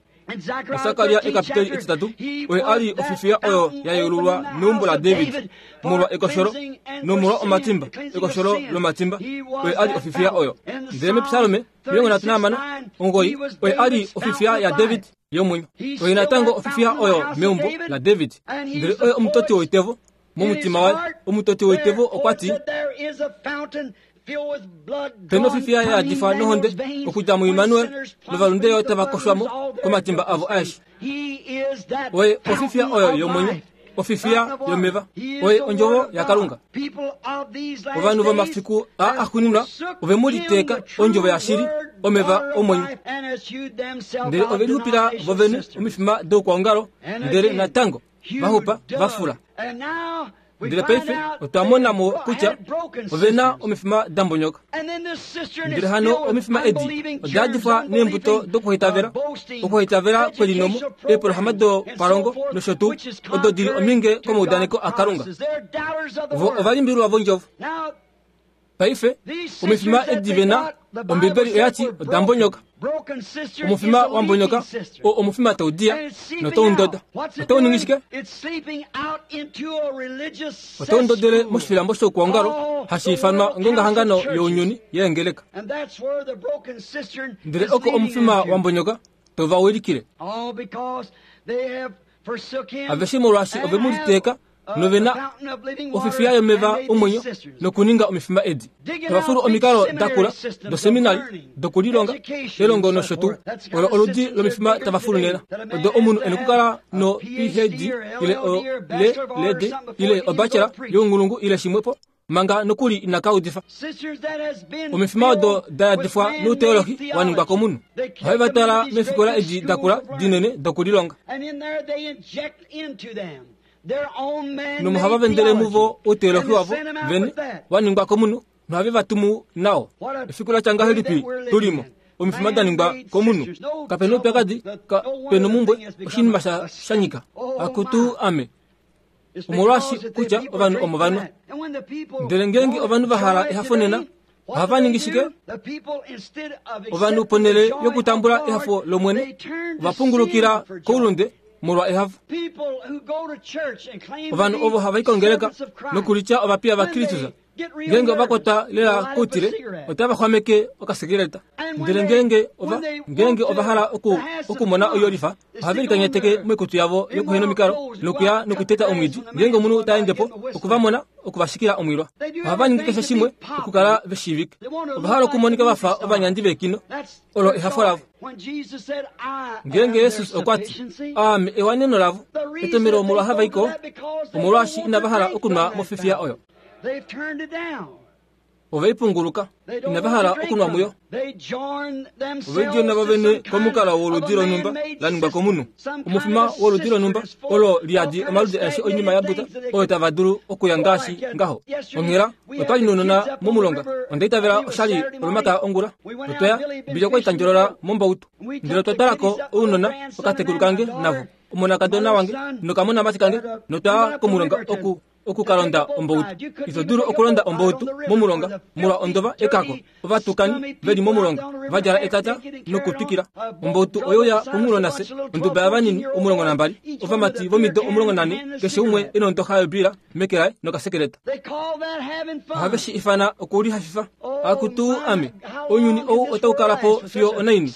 Sakaria ekapiteli etitatu, oye a li ofifiya oyo ya yeululwa meumbo laDavid molwa ekosholo nomolwa omatimba, ekosholo lomatimba. Oye a li ofifiya oyo. Ndele mepsalome omilongo nhatu nahamano omugoyi, oye a li ofifiya yaDavid yomwenyo. Oye natango ofifiya oyo meumbo laDavid. Ndele oye omutoti woitevo momutima waye. Omutoti woitevo okwa ti, pena ofifiya ya yadifwa nohonde okudja muImmanuel, novalunde yo tava koshwa mo komatimba avo aeshe. Oye ofifiya oyo yomwenyo, ofifiya yomeva. Oye ondjovo yaKalunga. Ovanhu vomafiku a axuuninwa ove mu liteeka ondjovo yashili, omeva omwenyo. Ndele ove lixupila vovene omifima doukwaongalo, ndele natango vaxupa va fula. Ndele paife otwa mona mo kutya ove na omifima da mbonyoka. Ndele hano omifima edi oda yadifwa neembuto dokuhitavela, okuhitavela kwelinomo, eepolohalama dopalongo nosho tuu, odo dili ominge komaudaneko aKalunga. Vo ova limbililwa vondjovo. Paife omifima edi ve na, Ombibeli oya ti oda mbonyoka. Omufima wa mbonyoka o omufima tau diya notau ndoda. Otau ningi shike? Otau ndodele moshifilambo shoukwaongalo hashi ifanwa ngongahangano younyuni yeengeleka. Ndele oko omufima wa mbonyoka tau va wilikile. Aveshe molwaashi ove mu liteeka nove na ofifiya yomeva omwenyo nokuninga omifima edi. Tava fulu omikalo dakula doseminari dokulilonga elongo nosho tuu. Olo oludi lomifima tava fulu nena. Odo omunhu e nokukala no P H D ile o L D ile obachelor younghulungu ile shimwepo manga nokuli inaka udifa. Omifima odo da yadifwa nouteolohi wa ningwa komunhu. Ohave va twala meefikola edi dakula dinene dokulilonga. Nomohava vendele muvo outeolohi wavo vene wa ningwa komunhu nohave va tumu nao. Efiku la tya ngahelipi tulimo? Omifima da ningwa komunhu. Kape na oupyakadi, kape na omumbwe, oshinima sha nyika. Akutu ame. Omolwaashi kutya ovanhu omo vanwa. Ndele ngeenge ovanhu va hala ehafo nena, ohava ningi shike? Ovanhu ponhele yokutambula ehafo lOmwene, ova pungulukila koulunde molwa ehafo. Ovanhu ovo hava i kongeleka nokulitya ovapiya vaKristus, Ngeenge ova kwatwa lela koutile, otava xwameke okasigareta. Ndele ngeenge ova ngeenge ova hala oku okumona oiyolifa, ohave likanyateke moikutu yavo yokuhena omikalo nokuya nokuteta omwiidi. Ngeenge omunhu ta ende po, okuvamona okuvashikila omwilwa. Ohava ningi keshe shimwe okukala veshiivike. Ova hala okumonika vafa ovanyandi veekino. Olo ehafo lavo. Ngeenge Jesus okwa ti, aame ewaneno lavo, etomelo omolwa hava iko, omolwaashi inava hala okunwa mofifiya oyo. Ove ipunguluka, inava hala okunwa muyo. Ove lidjona vovene komukalo woludi lonhumba la ningwa komunhu. Omufima woludi lonhumba olo liyadi omaludi aeshe oinima ya buta oyo tava dulu okuya ngaashi ngaho. Onghela otwali nounona momulonga, onda itavela oshali olomakaya ongula. Otwaya Billy okwa itandjolola mombautu, ndele otwa twalako ounona okatekulu kange navo, omonakadona wange nokamonamati kange, notwaya komulonga oku okukalonda ombautu. Ito dulu okulonda ombautu momulonga molwa ondova ekako. Ovatukani veli momulonga va djala etata nokutwikila. Ombautu oyo ya pomunghulo nafye, onduba yavanini omulongo nambali, ovamati vomido omulongo nane, keshe umwe e na ondoxa yobiila meke laye nokasekeleta. Ohave shi ifana okulihafifa. Akutu ame, ounyuni ou otau kala po fiyo onaini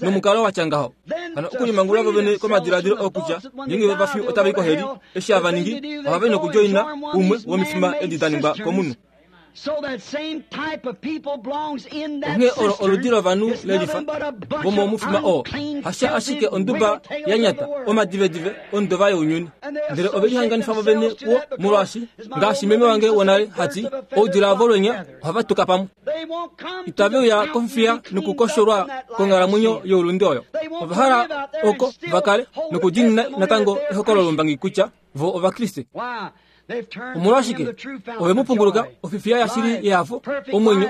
nomukalo watya ngaho. Hano okulimangulula vovene komadiladilo okutya ngeenge vafi otava i koheli, eshi hava ningi ohava i nokudjoina umwe womifima edi da ningwa komunhu. Onghee olo oludi lovanhu lelifa vomomufima oo, hasha ashike onduba ya nyata, omadivedive ondova younyuni. Ndele ove lihanganifa vovene kuwo, molwaashi ngaashi meme wange wonale hati, oudila volwenya ohava tuka pamwe. Itave uya kofifiya nokukosholwa konghalamwenyo youlunde oyo. Ova hala oko va kale nokudiinina natango ehokololo lombangi kutya vo Ovakriste. Omolwashike ove mu punguluka ofifiya yashili yehafo, omwenyo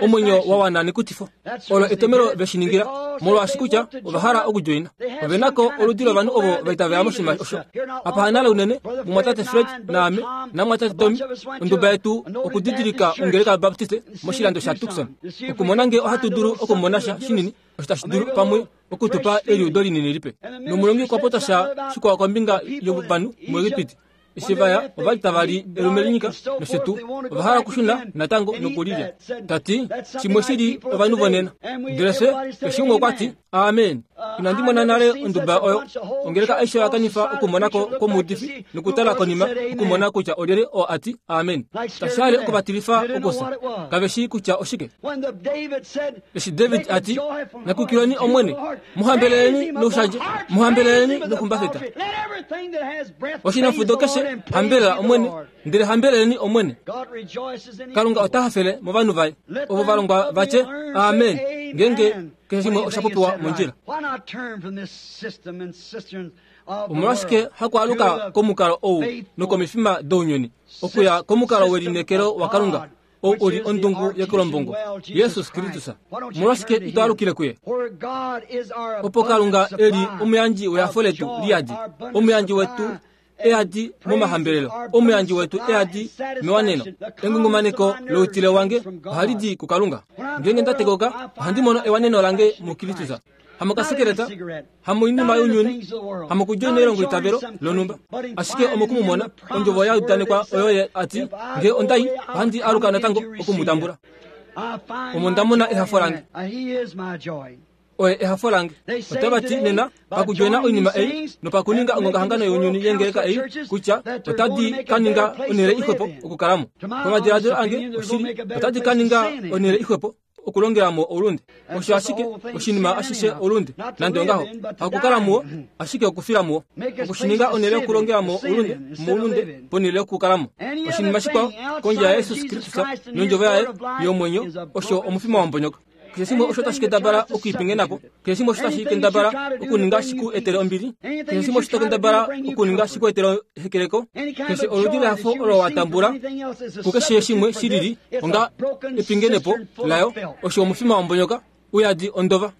omwenyo wa wana nekutifo. Olo etomelo ve shi ningila, molwaashi kutya ova hala okudjoina. Ove nako oludi lovanhu ovo va itavela moshinima osho. Apa hanale unene, mumwatate Fred naame namwatate Tommy, onduba yetu okudidilika ongeleka yaBaptiste moshilando shaTucson. Okumona ngee ohatu dulu okumona sha shinini osho tashi dulu pamwe okutupa eliudo linini lipe. Nomulongi okwa popya sha shikwao kombinga yovanhu muEgipiti. Eshi vaya ova li tava li elume linyika nosho tuu, ova hala okushuna natango nokulilya. Tati shimwe shili ovanhu vonena. Ndele fye keshe umwe okwa ti amen. Inandi mona nale onduba oyo. Ongeleka aishe oya kanifa okumonako kwomuudifi nokutala konima okumona kutya olyelye oo a ti amen. Tashi hale okuvatilifa okufya. Kave shii kutya oshike. Eshi David a ti, nyakukilweni Omwene, muhambeleleni noushandje, muhambeleleni noxumbafeta. Oshinafudo keshe hambelela Omwene, ndele hambeleleni Omwene. Kalunga ota hafele movanhu vaye ovo va longwa va tye amen ngeenge keshe shimwe osha popiwa mondjila. Omolwashike hakwaaluka komukalo ou nokomifima dounyuni, okuya komukalo welineekelo waKalunga ou uli ondungu yekelombongo, Jesus Kristus? Omolwashike ito alukile kuye? Opo Kalunga e li omuyandji wehafo letu liyadi, omuyandji wetu eyadi momahambelelo, omuyandji wetu eyadi mewaneno. Engungumaneko loutile wange ohali di kuKalunga. Ngeenge nda tekoka, ohandi mono ewaneno lange muKristus. Hamokasekeleta, hamoinima younyuni, hamokudjoina elongo itavelo lonhumba, ashike omokumumona ondjovo ya udanekwa oyo ye a ti, ngee onda i, ohandi aluka natango oku mu tambula. Omo nda mona ehafo lange. Oye ehafo lange. Otava ti nena pakudjoina oinima ei nopakuninga ongongahangano younyuni yengeleka ei kutya otadi ka ninga onhele ixwepo okukalamo. Pamadiladilo ange oshili, otadi ka ninga onhele ixwepo okulongela mo oulunde. Osho ashike oshinima ashishe oulunde, nande ongaho hakukala muwo, ashike okufila muwo. Okushininga onhele yokulongela mo oulunde, moulunde ponhele yokukalamo. Oshinima shikwao kondje yaJesus Kristus nondjovo yaye yomwenyo osho omufima wombonyoka. Keshe shimwe osho tashi kendabala okwiipingena po, keshe shimwe osho tashi kendabala okuninga shiku etele ombili, keshe shimwe osho ta kendabala okuninga shiku etele ehekeleko, keshe oludi lehafo olo wa tambula kukeshe shimwe shilili onga epingenepo layo, osho omufima wombonyoka uyadi ondova.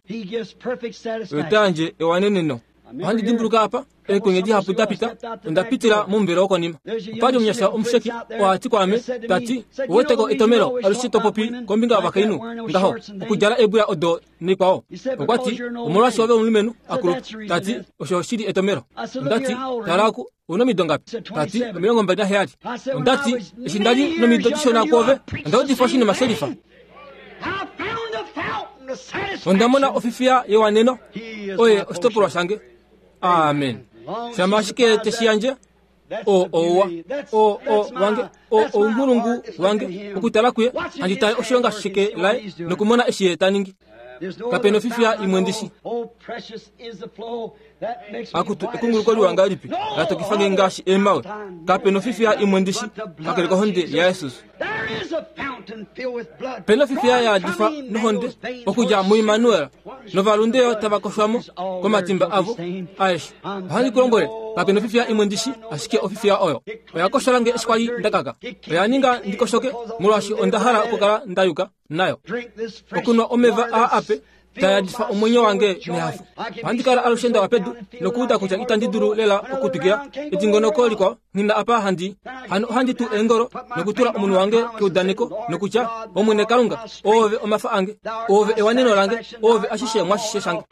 Oyo ta yandje ewaneneno. Ohandi dimbuluka apa eekonye dihapu da pita, onda pitila momuvelo wokonima. Opa li omunyasha omusheki oo a ti kwaame, ta ti, "Ouweteko etomelo alushe to popi kombinga yovakainhu ngaho, okudjala eebwila odo naikwao." Okwa ti, "Omolwaashi ove omulumenhu akulupa." Ta ti, "Osho oshili etomelo." Onda ti, "Tala oku, ouna omido ngapi?" Ta ti, omilongo mbali naheyali. Onda ti, "Eshi nda li nomido dishona kwoove, onda udifa oshinima shelifa. Onda mona ofifiya yewaneno, oye oshitopolwa shange." Amen. Shama ashike teshi yandje, o ouwa, o o wange, o ounghulungu wange, okutala kuye, handi tale oshilonga sheke laye nokumona eshi ye ta ningi. Kapena ofifiya imwe ndishi. Akutu ekunguluko liwa ngahelipi la tokifa nge ngaashi eemawe. Kapena ofifiya imwe ndishi kakele kohonde yaJesus. Pena ofifiya ya yadifwa nohonde okudja muImmanuel, novalunde yo tava koshwamo komatimba avo aeshe. Ohandi ku lombwele, kapena ofifiya imwe ndishi ashike ofifiya oyo oya koshola nge eshi kwali ndakaka. Oya ninga ndikoshoke molwaashi onda hala okukala nda yuka nayo. Okunwa omeva aa ape ta yadifa omwenyo wange nehafo. Ohandi kala alushe ndawa pedu nokuuda kutya itandi dulu lela okutwikila edingonoko likwao nghina apa handi hano ohandi tu eengolo nokutula omunhu wange keudaneko nokutya, "Omwene Kalunga, oove omafa ange, oove ewaneno lange, oove ashishe mwashishe shange."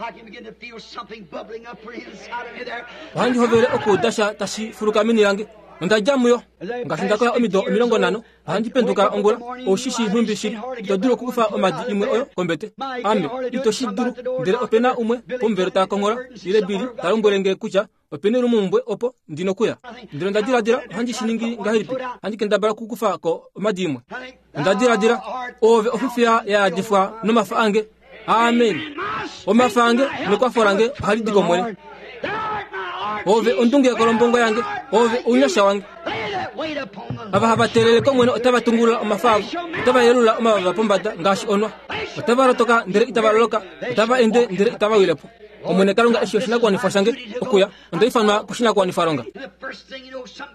Ohandi hovele okuuda sha tashi fuluka meni lange. Onda dja muyo ngaashi nda kola omido omilongo nhano. Ohandi penduka ongula, oushishi nhumbi shili, ito dulu okukufa omadi imwe oyo kombete. Ame ito shi dulu, ndele opena umwe pomuvelo ta konghola ile Billy ta lombwele nge kutya opena olumumbwe opo ndi nokuya. Ndele onda diladila, ohandi shi ningi ngahelipi? Ohandi kendabala okukufa ko omadi imwe. Onda diladila, oove ofifiya ya yadifwa nomafa ange. Amen. Omafa ange nekwafo lange ohali di kOmwene. Ove ondunge yokolombongo yange, ove ounyasha wange. Ava hava teelele kOmwene otava tungulula omafa avo, otava yelula omavava pombada ngaashi onwa. Otava lotoka ndele itava loloka, otava ende ndele itava wile po. Omwene Kalunga eshi oshinakuwanifwa shange okuya, onda ifanwa koshinakuwanifwalonga.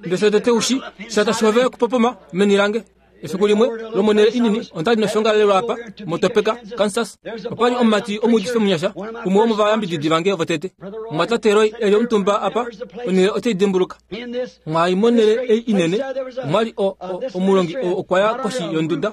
Ndele shotete ushi, sha tashi hovele okupopoma meni lange. Efiku limwe lomonhele inini onda li noshongalelwa apa moTopeka, Kansas. Opa li omumati omuudifi omunyasha, umwe womovayambididi vange votete. Omumwatate Roy e li omutumba apa, onhele ote i dimbuluka. Mwai monhele ei inene, omwa li o, o, omulongi oo okwa ya koshi yonduda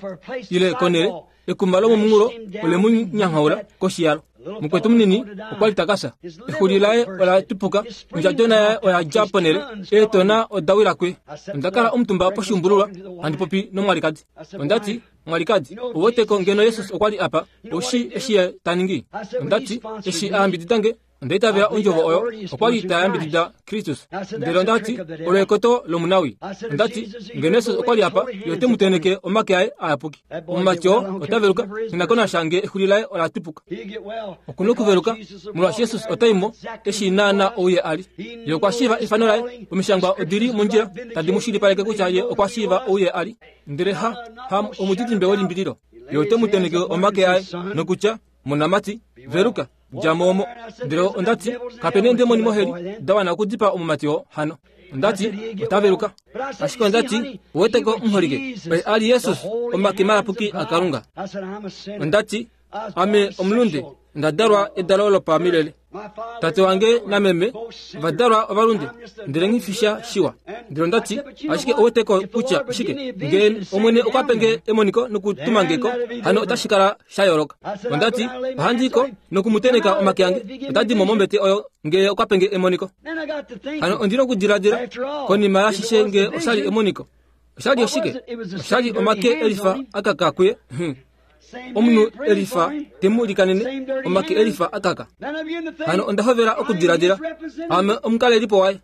ile konhele, ekuma lomomunghulo ole mu nyanghaula koshi yalo. Mukwetu munini okwa li ta ka fya. Exuli laye ola tupuka, ondjadona yaye oya dja ponhele, eetona oda wila kuye. Onda kala omutumba poshiumbululwa handi popi nomwalikadi. Onda ti, "Mwalikadi, ouweteko ngeno Jesus okwa li apa, oushi eshi ye ta ningi?" Onda ti, "Eshi a yambidida nge, onda itavela ondjovo oyo, okwa li ta yambidida Kristus." Ndele onda ti, "Olo ekoto lomunawi." Onda ti, "Ngeno Jesus okwa li apa, ye ote mu tenheke omake aye ayapuki." Omumati oo ota veluka, nghi ko nasha nge exuli laye ola tupuka. Oku nokuveluka, molwaashi Jesus ota i mo, eshi naana ou ye a li. Ye okwa shiiva efano laye, omishangwa odi li mondjila tadi mu shilipaleke kutya ye okwa shiiva ou ye a li. Ndele ha, ha omudidimbe welimbililo. Ye ote mu tenheke omake aye nokutya, "Monamati, veluka, dja mo omo." Ndele onda ti, "Kapena eendemoni moheli da wana okudipaa omumati oo hano." Onda ti, "Ota veluka." Ashike onda ti, "Ouweteko omuholike, oye a li Jesus, omake mayapuki aKalunga." Onda ti, "Ame omulunde, onda dalwa edalo lopamilele. Tate wange nameme ova dalwa ovalunde, ndele nghifisha shiwa." Ndele onda ti, "Ashike ouweteko kutya oshike? Ngee Omwene okwa pe nge emoniko nokutuma nge ko, hano otashi kala sha yooloka." Onda ti, "Ohandi i ko nokumutenheka omake ange, ota di mo mombete oyo ngee okwa pe nge emoniko." Hano ondi nokudiladila konima yashishe ngee osha li emoniko. Osha li oshike? Osha li omake elifa akaka kuye. Omunhu elifa te mu likanene, omake elifa akaka. Hano onda hovela okudiladila, ame omukalelipo waye.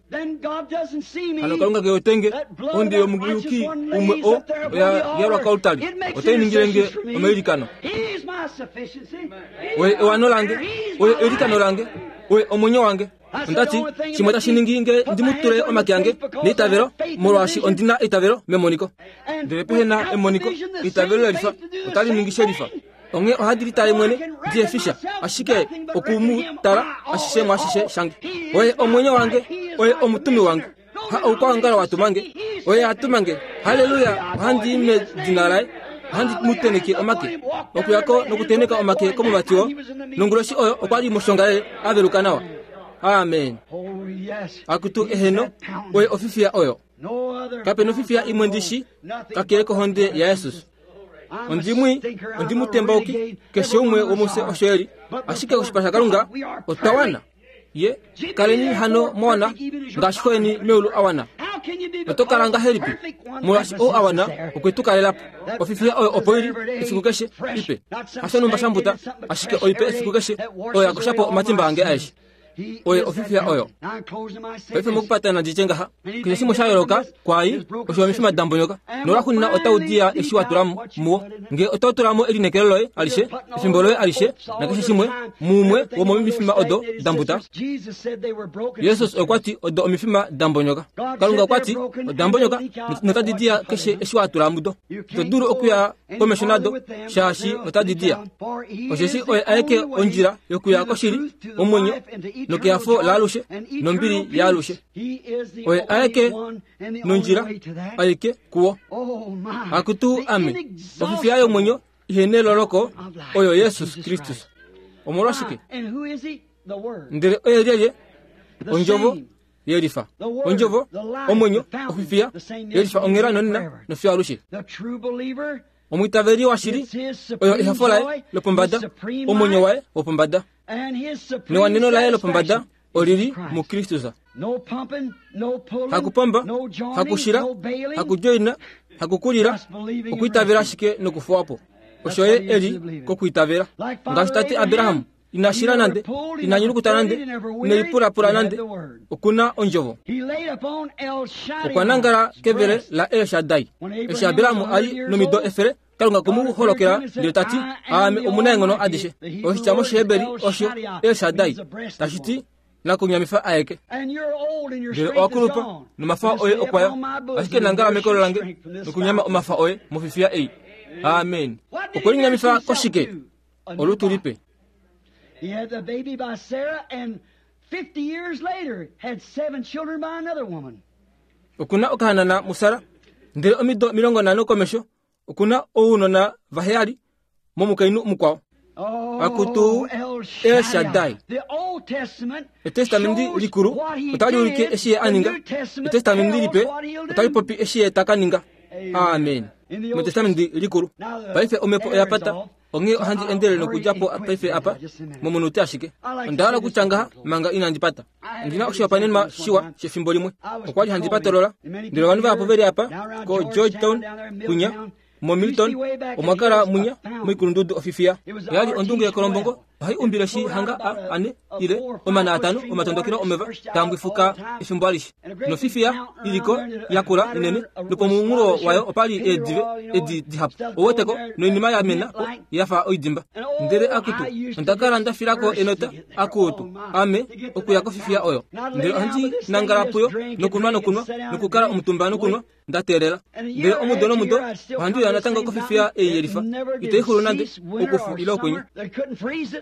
Hano Kalunga ke wete nge, ohonde yomuyuki umwe oo oya yalwa koaltari, otai ningile nge omailikano. Oye ewano lange, oye eilikano lange, oye omwenyo wange. Onda ti, shimwe tashi ningi nge ndi mu tule omake ange neitavelo, molwaashi ondi na eitavelo memoniko. Ndele pehe na emoniko, eitavelo lelifa otali ningi shelifa. Onghee ohandi litale mwene ndihefisha, ashike oku mu tala ashishe mwaashishe shange. Oye omwenyo wange, oye omutumi wange. Ha oukwaongalo wa tuma nge, oye a tuma nge. Halleluya, ohandi i medina laye. Ohandi mu tenheke omake. Okuya ko nokutenheka omake komumati oo, nonguloshi oyo okwa li moshongalele a veluka nawa. Amen. Akutu eheno, oye ofifiya oyo. Kape nofifiya imwe ndishi kakele kohonde yaJesus. Ondimwi ondimutembauki keshe umwe womufye osho eli, ashike koshipala shaKalunga otwa wana. Ye kaleni hano mwana ngaashi xo meulu awana. Oto kala ngahelipi molwaashi ou awana okwe tu kalela po. Ofifiya oyo opo ili efiku keshe ipe, hashonumba shambuta, ashike oipe efiku keshe oyo yakoshapo omatimba ange aeshe. Oye ofifiya oyo. Paife mokupatana nditye ngaha, keshe shimwe sha yooloka kwai osho omifima da mbonyoka nolwaxuuninwa otau diya eshi wa tula muwo. Ngee otau tula mo elineekelo loye alishe, efimbo loye alishe nakeshe shimwe muumwe womomifima odo da mbuta. Jesus okwa ti odo omifima da mbonyoka. Kalunga okwa ti oda mbonyoka notadi diya keshe eshi wa tula mudo. Ito dulu okuya komesho nado shaashi otadi diya. Osheshi oye aeke ondjila yokuya koshili, omwenyo nokeyafo laalushe nombili yaalushe. Oye aeke nondjila aike kuwo. Akutu ame, ofifiya yomwenyo ihene loloko oyo Jesus Kristus. Omolwashike? Ndele oye lyelye? Ondjovo yelifa. Ondjovo, omwenyo, ofifiya yelifa onghela nonena nofiyo alushe. Omwiitaveli washili oyo ehafo laye lopombada, omwenyo waye wopombada newaneno laye lopombada olili muKristus. Hakupomba, hakushila, hakujoina, hakukulila, okwiitavela ashike nokufuwapo. Osho ye eli kokwiitavela. Ngaashi tate Abraham ina shila nande, ina nyulukuta nande, ine lipulapula nande, okuna ondjovo. Okwa nangala kevele la El Shaddai. Eshi Abraham ali nomido efele, Kalunga kumu holokela ndele tati, aame omunaenghono adishe. Oshitya mOshiheberi osho El Shaddai, tashi ti nakunyamifa aeke. Ndele owakulupa nomafa oye okwaya, ashike nangala mekolo lange nokunyama omafa oye mofifiya ei. Amen. Okwe linyamifa koshike? Olutu lipe. He had the baby by Sarah, and fifty years later had seven children by another woman. Okuna okahanana muSara, ndele omido milongo nhano komesho okuna ounona vaheyali momukainhu mukwao. Akutu El Shaddai. Etestamenti likulu otali ulike eshi ye a ninga. Etestamenti lipe otali popi eshi ye taka ninga. Amen. Metestamenti likulu. Paife omhepo oya pata, onghee ohandi endelele nokudja po paife apa momunute ashike. Onda hala okutya ngaha manga inandi pata. Ondina oshihopaenenwa shiwa shefimbo limwe. Okwa li handi patolola, ndele ovanhu vahapu veli apa ko Georgetown kunya moMilton omwa kala munya moikulundudu ofifiya. Oyali ondungu yekolombongo, ohai umbile shi hanga a ane ile omana atano omatondokelo omeva taambwifuka efimbo alishe. Nofifiya iliko yakula inene nopomunghulo wayo opali eedive edi dihapu. Oweteko noinima ya mena po yafa oidimba. Ndele akutu onda kala nda filako enota akutu ame okuya kofifiya oyo. Ndele ohandi nangala puyo nokunwa nokunwa nokukala omutumba nokunwa nda teelela. Ndele omudo nomudo ohandi uya natango kofifiya ei yelifa. Itaixulu nande okufu ile okwenye.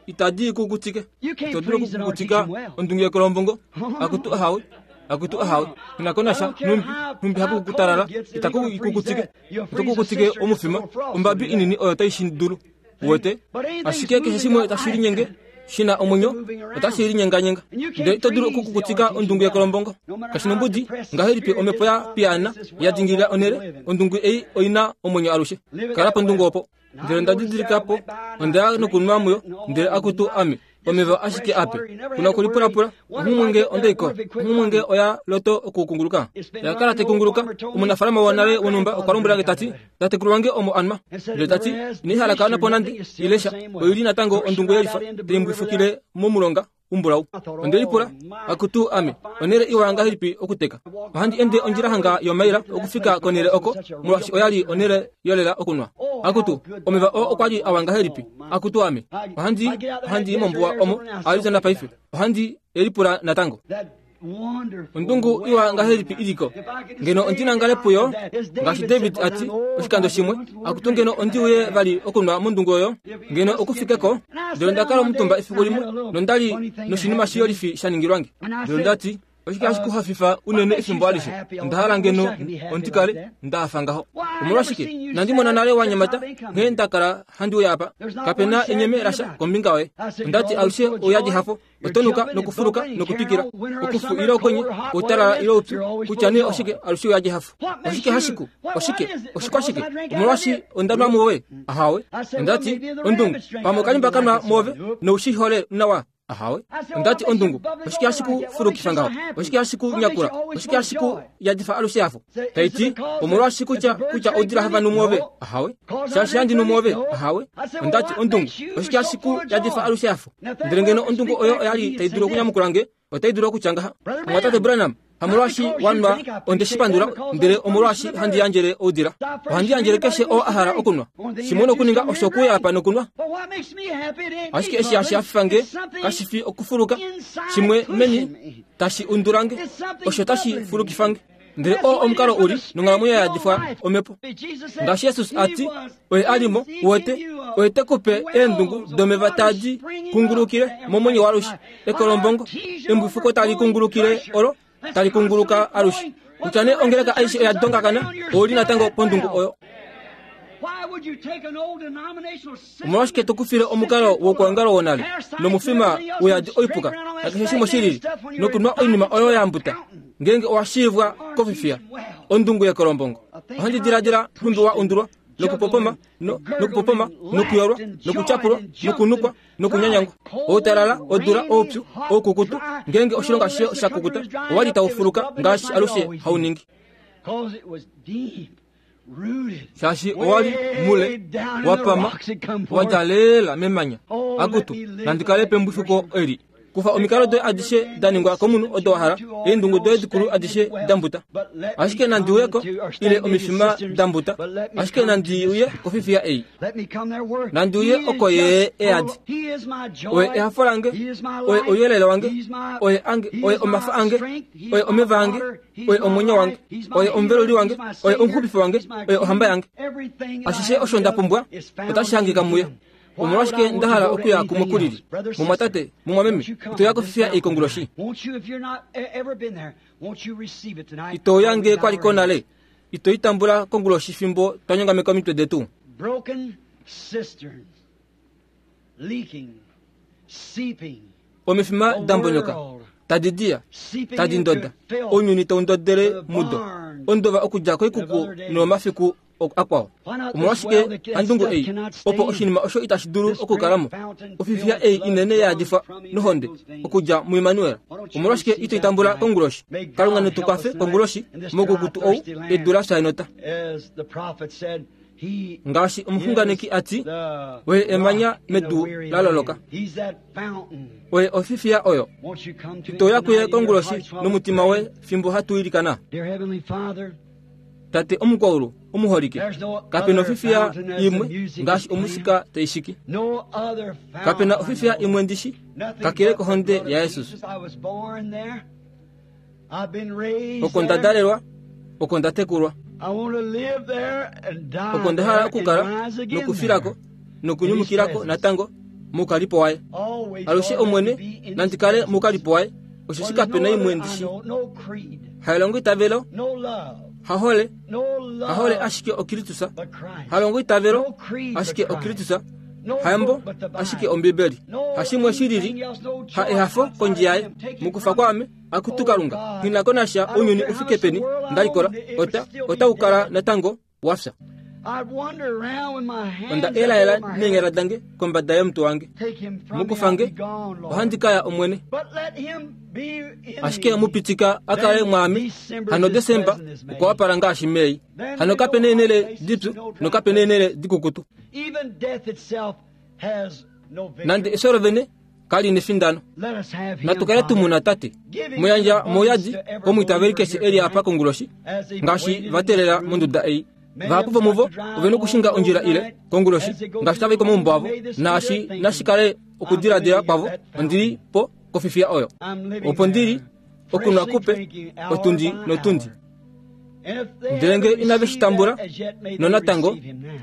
Itadi kukutike. Ito dulu okukukutika ondungu yekolombongo. Akutu ahawe, akutu ahawe. Inakonasha numbi numbi hapu kukutalala. Itaku kukutike. Ito kukutike omufima ombabi inini oyo tai shindulu. Uwete? Ashike keshe shimwe tashi linyenge shina omwenyo otashi linyenganyenga. Ndele ito dulu okukukutika ondungu yekolombongo. Kashinombudi ngahelipi omhepo ya piyaana ya dingilila onhele, ondungu ei oina omwenyo alushe. Kala pondungu opo. Ndele onda didilika po, onda ya nokunwa muyo, ndele akutu ame omeva ashike ape. Kuna okulipulapula, onghumwe nge ondaiko, onghumwe nge oya loto okukunguluka. Yakala tekunguluka, omunafalama wonale wonhumba okwa lombwela nge tati, tatekulu wange omo anwa. Ndele tati, inai hala po nande, ilesha, oili natango ondungu yelifa, taimbwifukile momulonga umbulau. Onde lipula, akutu ame, onhele iwa ngahelipi okuteka. Ohandi ende ondjila hanga yomaila okufika konhele oko, molwaashi oyali onhele yolela okunwa. Akutu, omeva oo okwali awa ngahelipi. Akutu ame, ohandi ohandi mombuwa omo Arizona paife. Ohandi elipula natango. Ondungu iwa ngahelipi iliko. Ngeno ondinangale puyo, ngaashi David ati oshikando shimwe, akutu ngeno ondi uye vali okunwa mondungu oyo, ngeno okufikeko, ndele onda kala omutumba efiku limwe, nondali noshinima shiyolifi sha ningilwange. Ndele ondati, Oshike hashi ku hafifa unene efimbo alishe? Onda hala ngeno ondikale ndahafa ngaho. Omolwashike nandi mona nale wanyamata nghee nda kala handi uya apa. Kapena enyeme lasha kombinga yoye. Ondati alushe ouyadi hafo, otonuka nokufuluka nokutwikila, okufu ile okwenye, outalala ile oupyu, kutya nee oshike alushe ouyadi hafo. Oshike hashiku? Oshike? Oshikwashike? Omolwashi onda nwa muove? Ahawe. Ondati ondungu, pamwe okalimba kanwa muove noushihole nawa. Ahawe. Ondati ondungu, oshike hashi ku fulukifa ngaho? Oshike hashi ku nyakula? Oshike hashi ku yadifa alushe hafo? Taiti, omolwashi kutya kutya oudila hava nu muove? Ahawe. Shaashi handi nu muove? Ahawe. Ondati ondungu, oshike hashi ku yadifa alushe hafo? Ndele ngeno ondungu oyo oyali tai dulu okunyamukula nge, otai dulu okutya ngaha. Omwatate Branham, hamolwashi wanwa onde shi pandula, ndele omolwashi handi yandjele oudila. Ohandi yandjele keshe oo a hala okunwa. Shimwe nokuninga osho okuya apa nokunwa. Ashike eshi hashi hafifa nge kashi fi okufuluka, shimwe meni tashi undula nge, osho tashi fulukifa nge. Ndele oo omukalo uli nonghalamwenyo ya yadifwa omhepo. Ngaashi Jesus a ti, oye a li mo, uwete, oye te ku pe eendungu domeva tadi kungulukile momwenyo waalushe. Ekolombongo, embwifuko tali kungulukile olo tali kunguluka alushe. Kutya nee ongeleka aishe oya dongakana, ouli natango pondungu oyo. Omolwashike to kufile omukalo wokuongalo wonale nomufima uyadi oipuka nakeshe shimwe shilili nokunwa oinima oyo ya mbuta ngeenge owa shiivwa kofifiya ondungu yekolombongo? Ohandi diladila nhumbi wa undulwa nokupopoma nokupopoma nokuyolwa nokutyapulwa nokunukwa nokunyanyangwa, outalala, odula, oupyu, oukukutu. Ngeenge oshilongo ashishe sha kukuta, owali tau fuluka ngaashi alushe hauningi, shaashi owali mule wapama wadja lela memanya. Akutu, nandi kale pembwifuko eli. Kufa omikalo doye adishe da ningwa komunhu odo wa hala, eendungu doye dikulu adishe da mbuta. Ashike nandi uyeko, ile omifima da mbuta. Ashike nandi uye kofifiya ei. Nandi uye oko ye eadi. Oye ehafo lange, oye ouyelele wange, oye ange, oye omafa ange, oye omeva ange, oye omwenyo wange, oye omuveluli wange, oye omuxupifi wange, oye ohamba yange. Ashishe osho nda pumbwa otashi hangika muye. Omolwashike nda hala okuya kumwe kulili? Mumwatate, mumwameme, ito ya kofifiya ei konguloshi? Ito ya nge kwaliko nale? Ito itambula konguloshi fimbo twa nyongameka omitwe detu? Omifima da mbonyoka, tadi diya, tadi ndoda, ounyuni tau ndodele mudo, ondova okudja koikuku nomafiku akwao. Omolwashike handungu ei, opo oshinima osho itashi dulu okukalamo? Ofifiya ei inene ya yadifwa nohonde okudja muImmanuel. Omolwashike ito itambula konguloshi? Kalunga netu kwafe konguloshi mokukutu ou edu la fya enota. Ngaashi omuxunganeki a ti, oye emanya medu la loloka, oye ofifiya oyo. Ito ya kuye konguloshi nomutima woye fimbo hatu ilikana. Tate omukwaulu omuholike, kapena ofifiya imwe ngaashi omusika taishiki. Kapena ofifiya imwe ndishi kakele kohonde yaJesus. Oko nda dalelwa, oko nda tekulwa, oko nda hala okukala nokufilako nokunyumukilako natango moukalipo waye. Alushe Omwene nandi kale moukalipo waye, osheshi kapena imwe ndishi. Hailongo itavelo, hahole, hahole ashike oKristus, halongo itavelo ashike oKristus, hayambo ashike Ombibeli, hashimwe shilili, ha ehafo kondje yaye. Mukufa kwame akutu Kalunga, nghi ko nasha ounyuni ufike peni ndalikola, ota otaukala natango wafya. Onda elaela neenyala dange kombada yomutwe wange. Mukufange ohandi kaya Omwene. Ashike mupitika akale mwaame hano Desemba okwa wapala ngaashi Mei. Hano kapena eenhele dipyu nokapena eenhele dikukutu. Nande efyo lovene kali nefindano. Natu kale tumuna Tate muyandja mouyadi komwiitaveli keshe eli apa konguloshi ngaashi va teelela monduda ei. Vahapu vomuvo ove nokushinga ondjila ile konguloshi ngaashi tava i komaumbo avo, naashi nashikale okudiladila kwavo ondili po kofifiya oyo. Opo ndili okunwa kupe otundi notundi. Ndele nge inave shi tambula nonatango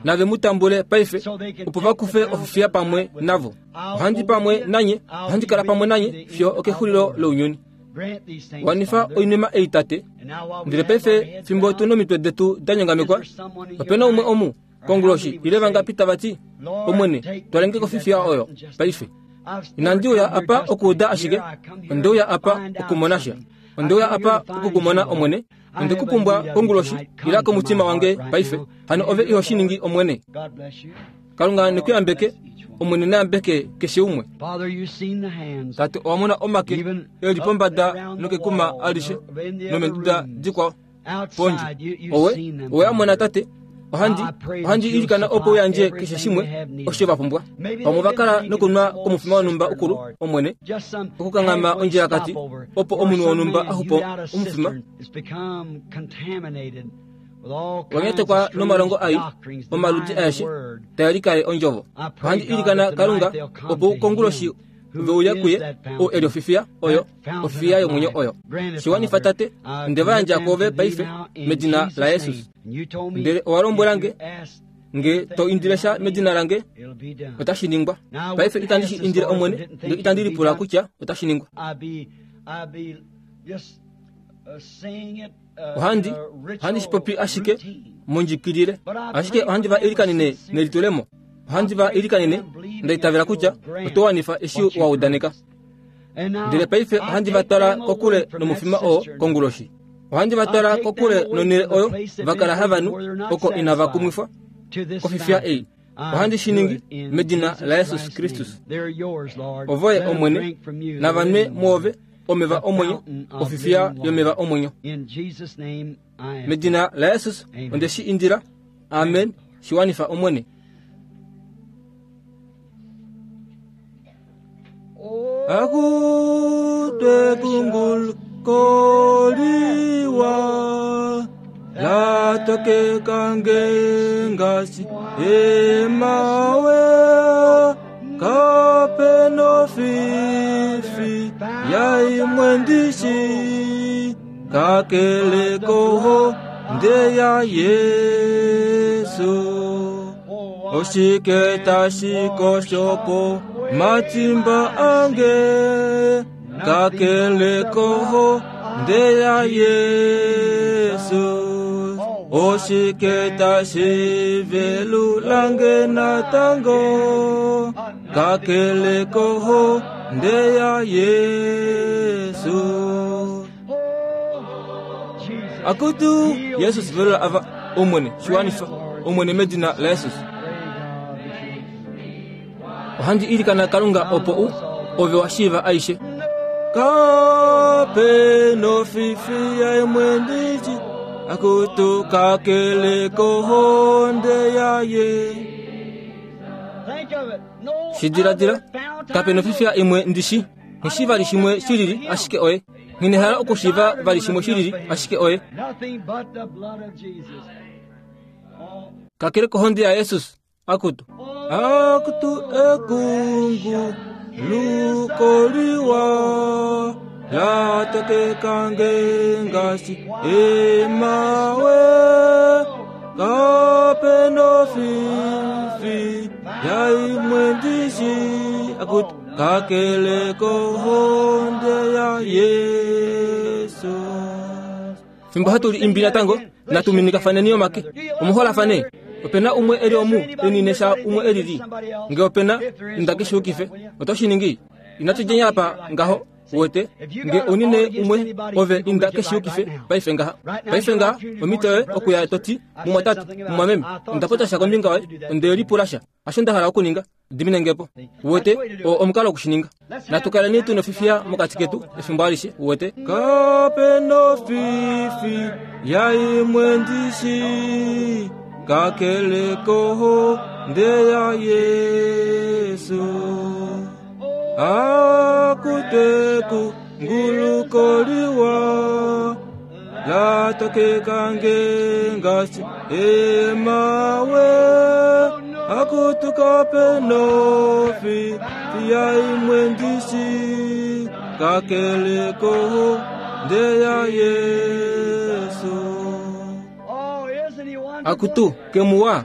nave mu tambule paife, opo va kufe ofifiya pamwe navo. Ohandi pamwe nanye, ohandi kala pamwe nanye fiyo okexulilo lounyuni. Wanifa oinima ei tate. Ndele paife fimbo tu nomitwe detu da nyongamekwa, opena umwe omu konguloshi ile vangapi tava ti, Omwene, twalenge kofifiya oyo paife. Inandi uya apa okuuda ashike, onde uya apa okumona sha. Onde uya apa okukumona Omwene. Onde kupumbwa konguloshi ila komutima wange paife. Hano ove iho shiningi Omwene. Kalunga nekuyambeke, Omwene nayambeke keshe umwe. Tate owa mona omake eli pombada nokekuma alishe nomenduda dikwao pondje. Owe owe amona tate. Ohandi ohandi ilikana opo uyandje keshe shimwe osho va pumbwa. Vamwe va kala nokunwa komufima wonhumba ukulu Omwene, okukanghama ondjilakati opo omunhu wonhumba axupo omufima wanyatekwa nomalongo ai omaludi aeshe tae likale ondjovo. Ohandi ilikana Kalunga opo konguloshi veuya kuye ou eli ofifiya oyo, ofifiya yomwenyo oyo. Shiwanifa tate, onde va yandja kwoove paife medina laJesus. Ndele owa lombwela nge, nge to indile sha medina lange, otashi ningwa. Paife itandi shi indile Omwene, ndele itandi lipula kutya otashi ningwa. Ohandi ohandi shi popi ashike mondjikilile, ashike ohandi va ilikanene nelitulemo. Ohandi va ilikanene nda itavela kutya oto wanifa eshi wa udaneka. Ndele paife ohandi va twala kokule nomufima oo konguloshi. Ohandi va twala kokule nonhele oyo va kala havanu oko inava kumwifwa kofifiya ei. Ohandi shi ningi medina laJesus Kristus. Ovoye Omwene, navanwe mwoove omeva omwenyo, ofifiya yomeva omwenyo. Medina laJesus onde shi indila. Amen. Shiwanifa Omwene. Akutwe kungul koliwa latoke kange ngasi emawe kapeno fifi yaimwendishi kakele koho nde ya Yesu. Oshike tashikoshopo matimba ange kakele koho nde ya Yesu. Oshike tashivelu lange natango kakele koho nde ya Yesu. Akutu Yesus velula ava Omwene shiwanifa Omwene medina la Jesus. Ohandi ilikana Kalunga opo u ove wa shiiva aishe. Kape no fifi ya imwendiji akutu kakele kohonde yaye. Shidiladila kape no fifi ya imwe ndishi nishi vali shimwe shilili ashike oye. Nginehala okushiva vali shimwe shilili ashike oye. Kakele kohonde ya Jesus akutu. Akutu ekungu lukoliwa latake kange ngasi emawe kapeno fifi yaimwendishi akutu kakele kohonde ya Yesu. Fimbo hatuli imbi natango natuminika faneniyo make omuhola fane. Opena umwe eli omu eninesha umwe elili. Nge opena indakishukife otoshiningi inatujenya apa ngaho wete nge onine umwe ove indakishukife paife ngaha paife ngaha omitoe okuya toti mumwatatu mumwameme ndapota kombinga waye onde lipulasha asho ndahala okuninga diminengepo wete o omukalo okushininga natukaleni tu nofifia mokati ketu efimbo alishe wete kape nofifi yaimwendishi kakele koho nde ya Yesu akuteku ngulukoliwa latoke kange ngasi emawe akutukape nofi yaimwendishi kakele koho nde ya Yesu. Akutu kemuwa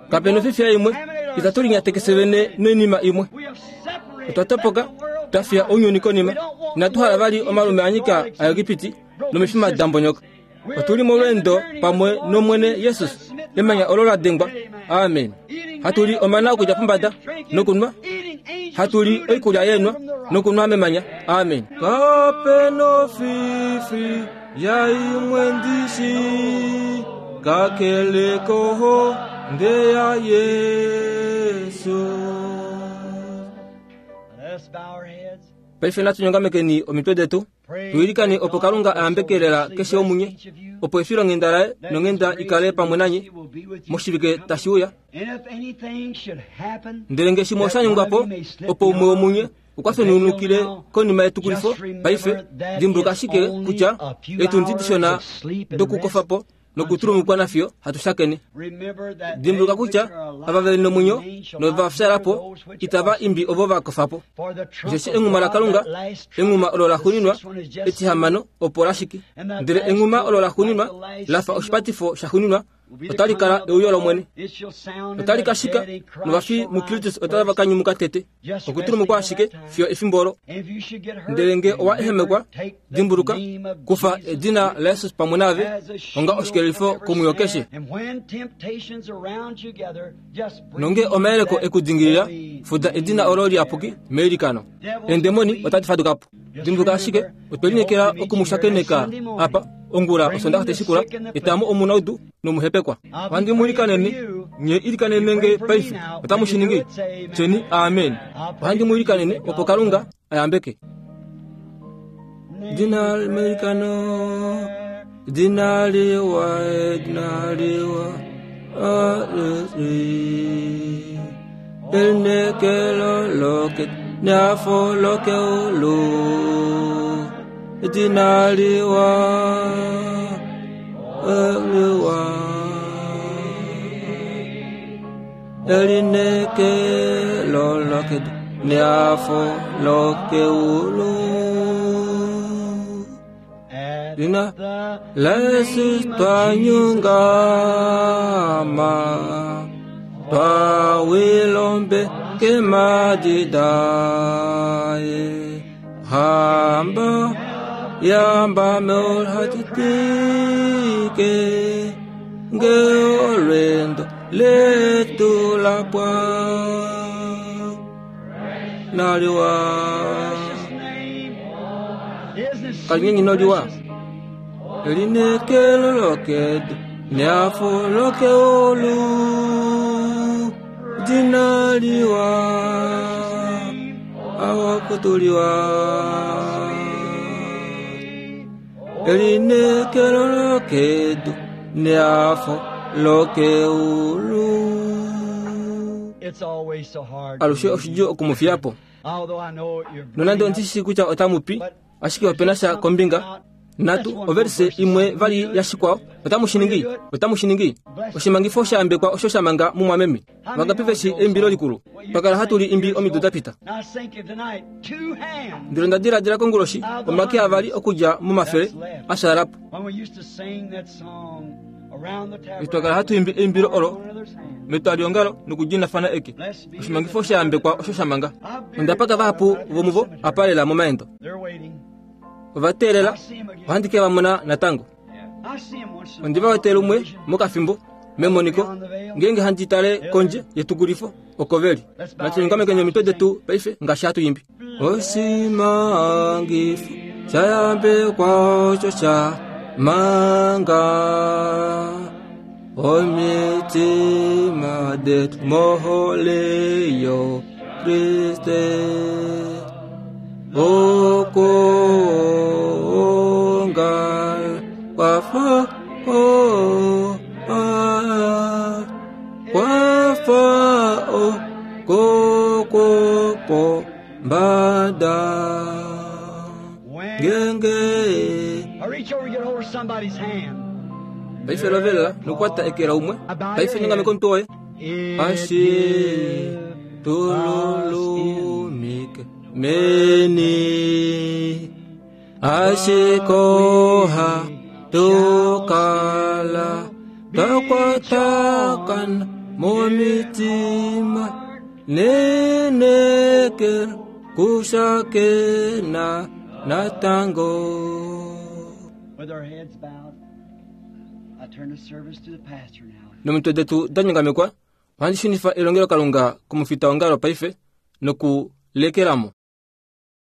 kapeno fifia imwe itatulinyatekesevene noinima imwe otwatopoka twafya ounyuni konima Inatu hala vali omalume anyika aEgipiti nomifima dambonyoka. Otuli molweendo pamwe nomwene Jesus, emanya olo la dengwa. Amen. Hatuli omana okudja pombada nokunwa, hatuli oikulya yenwa nokunwa memanya. Amen. Kapeno fifi ya imwe ndishi kakele koho nde ya Yesu. Paife natunyongamekeni omitwe detu tuilikane opo Kalunga ayambekelela keshe omunye, opo efilonghenda laye nonghenda ikale pamwe nanye moshivike tashi uya. Ndele nge shimwe oshanyungwapo opo umwe womunye okwa fenunukile konima yetukulifo, paife dimbuluka ashike kutya etundi dishona dokukofapo nokutulumukwa nafyo hatushakene. Dimbuluka kutya ava veli nomwenyo novafyalapo itava imbi ovo vakofapo. Osheshi enghuma laKalunga, enghuma olo laxuuninwa etihamano opo lashiki, ndele enghuma olo laxuuninwa lafa oshipatifo shaxuuninwa otali kala euyo lOmwene. Otali kashika novafi muKristus otava ka nyumuka tete. Okutulumukwa ashike fiyo efimbo olo. Ndele nge owa ehemekwa, dimbuluka kufa edina laJesus pamwe naave onga oshikelelifo komwiyo keshe. Nonge omayeleko ekudingilila, fuda edina olo liyapuki meilikano. Eendemoni otadi faduka po. Dimbuluka ashike otwe lineekela okumushakeneka apa ongula osondaxa teshikula, etamu omunaudu nomuhepekwa. Ohandi mu ilikanene, nye ilikanene nge paife otamu shi ningi. Tyeni amen. Ohandi mu ilikanene opo Kalunga ayambeke. Dina meilikano, dina liwa, dina liwa, alisi. Elinekelo loke, neafo loke ulu. Dina liwa, liwa. Elinekelo loke, neafo loke ulu. Dina Yesus twanyungama, twawilombe kemadidaye. Hamba yamba meolhatitike ngeolwendo letu lapwa naliwa kalinyenyi noliwa elinekelo lokedu neafo lokeolu dinaliwa awakutuliwa elinekelo lokedu neafo lokeulu. Alushe oshidjuu okumufiyapo. Nonande ondishi kutya otamupi, ashike opena sha kombinga natu overse imwe vali yashikwao otamu shi ningi, otamu shi ningi. Oshimangifo shayambekwa osho shamanga mumwameme. Vangapi veshi eimbilo likulu twakala hatuli imbi omido dapita. Ndele onda diladila konguloshi omake avali okudja momafele ashaalapo. Twakala hatu imbi eimbilo olo metwaliongalo nokudinafana eke. Oshimangifo shayambekwa osho shamanga. Ondapaka vahapu vomuvo apalela momaendo. Ovateelela ohandi ke vamona natango. Ondi va wetele umwe mokafimbo memoniko ngeenge handi tale kondje yetukulifo oko veli. Natunyongamekeni omitwe detu paife ngaashi hatu imbi. Oshimangifo shayambekwa osho shamanga omitima detu mohole yo Kriste. Okonga kwafa o kwafa o kokopo mbada ngenge. Paife lovelela nokwata ekela umwe. Paife nyongameko ntoye ashi tululumike meni ashikoha tukala takwatakana momitima nenekela kushakena Natango. With our heads bowed, I turn the service to the pastor now. Nomitwe detu da nyongamekwa, ohandi shunifa elongelokalunga komufitaongalo paife nokulekelamo.